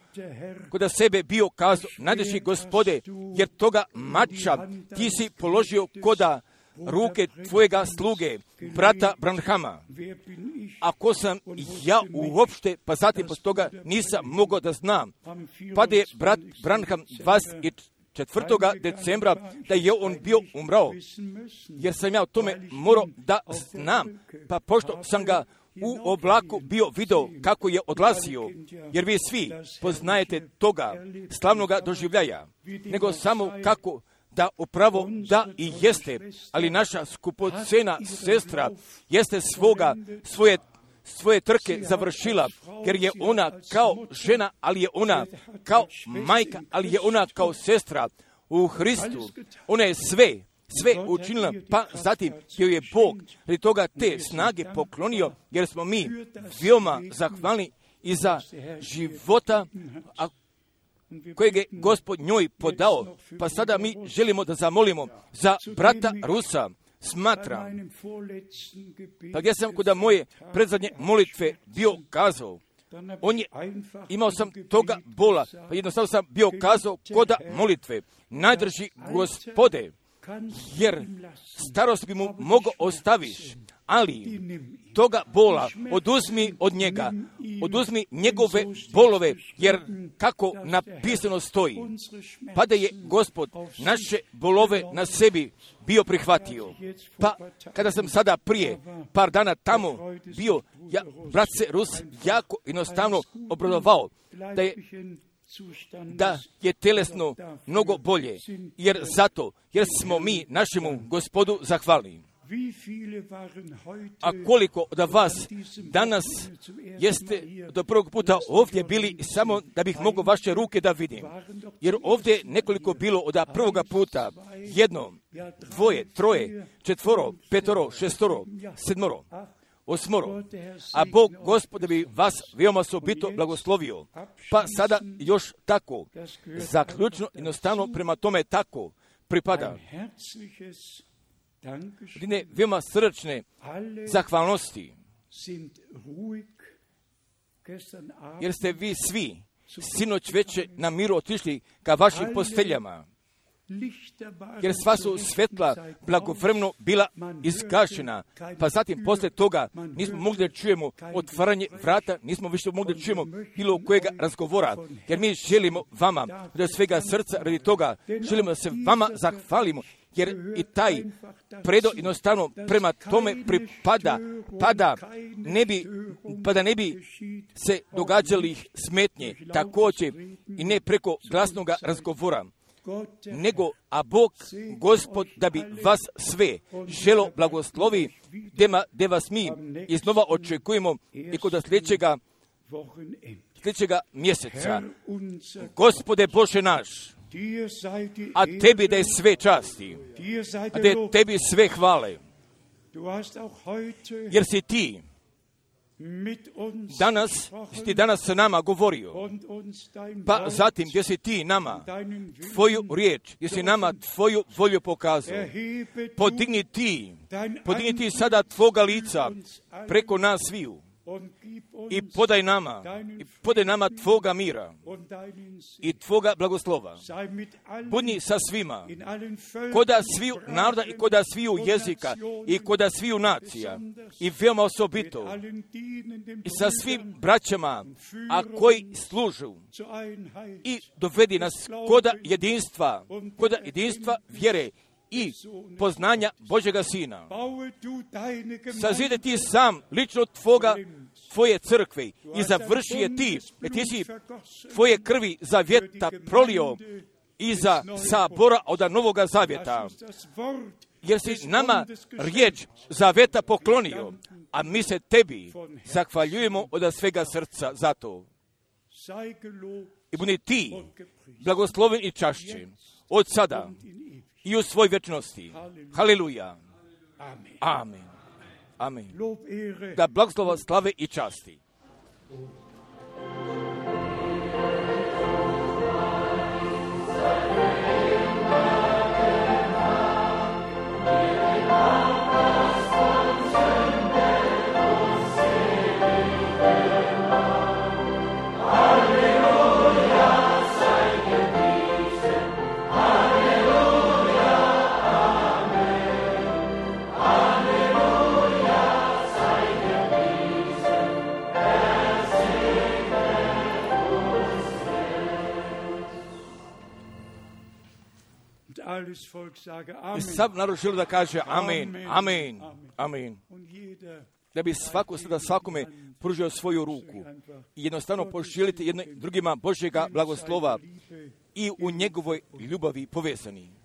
koda sebe bio kazao, najdraži Gospode, jer toga mača ti si položio koda ruke tvojega sluge, brata Branhama. Ako sam ja uopšte, pa zatim posto toga nisam mogao da znam, pa da je brat Branham dvadeset četvrtog decembra da je on bio umrao, jer sam ja o tome morao da znam, pa pošto sam ga u oblaku bio video kako je odlazio, jer vi svi poznajete toga slavnoga doživljaja, nego samo kako da upravo da i jeste, ali naša skupocena sestra jeste svoga, svoje, svoje trke završila, jer je ona kao žena, ali je ona kao majka, ali je ona kao sestra u Hristu. Ona je sve, sve učinila, pa zatim joj je Bog radi toga te snage poklonio, jer smo mi veoma zahvalni i za života, a kojeg je Gospod njoj podao. Pa sada mi želimo da zamolimo za brata Rusa. Smatra, pa gdje sam kod moje predzadnje molitve bio kazao, on je, imao sam toga bola, pa jednostavno sam bio kazao koda molitve, najdrži Gospode, jer starost bi mu mogo ostaviš, ali toga bola oduzmi od njega, oduzmi njegove bolove, jer kako napisano stoji, pa da je Gospod naše bolove na sebi bio prihvatio. Pa kada sam sada prije par dana tamo bio, ja, brat se Rus jako jednostavno obradovao da je da je telesno mnogo bolje, jer zato, jer smo mi našemu Gospodu zahvalni. A koliko od vas danas jeste do prvog puta ovdje bili samo da bih mogao vaše ruke da vidim? Jer ovdje nekoliko bilo od prvoga puta, jedno, dvoje, troje, četvoro, petoro, šestoro, sedmoro, osmoro. A Bog Gospod bi vas veoma osobito blagoslovio. Pa sada još tako, zaključno jednostavno prema tome tako pripada. Jedine veoma srčne zahvalnosti, jer ste vi svi sinoć veče na miru otišli ka vašim posteljama, jer sva su svetla blagovremeno bila izgašena, pa zatim posle toga nismo mogli da čujemo otvaranje vrata, nismo više mogli da čujemo bilo kojega razgovora, jer mi želimo vama od svega srca radi toga, želimo da se vama zahvalimo, jer i taj predo jednostavno prema tome pripada, pa da ne bi, pa da ne bi se događali smetnje, također i ne preko glasnoga razgovora, nego, a Bog, Gospod, da bi vas sve želo blagoslovi, gdje vas mi iznova očekujemo i kod sljedećega, sljedećega mjeseca. Gospode Bože naš, a tebi da je sve časti, a da je tebi sve hvale, jer si ti danas, si ti danas sa nama govorio, pa zatim gdje si ti nama tvoju riječ, gdje si nama tvoju volju pokazao, podigni ti, podigni ti sada tvoga lica preko nas sviju i podaj nama, i podaj nama Tvoga mira i Tvoga blagoslova. Budni sa svima, koda sviju naroda i koda sviju jezika i koda sviju nacija i veoma osobito i sa svim braćama, a koji služu i dovedi nas koda jedinstva, koda jedinstva vjere i poznanja Božjega Sina. Sazide ti sam lično tvoga, tvoje crkve i završi je ti, jer ti si tvoje krvi zavjeta prolio iza sabora od Novoga Zavjeta. Jer si nama riječ zavjeta poklonio, a mi se tebi zahvaljujemo od svega srca za to. I budi ti blagosloven i čašćen od sada i u svoj vječnosti. Haleluja. Amen. Amen. Da blagoslova, slave i časti. I sav narod želi da kaže amen, amen, amen. Da bi svako sada svakome pružio svoju ruku i jednostavno poželite jedno drugima Božjega blagoslova i u njegovoj ljubavi povezani.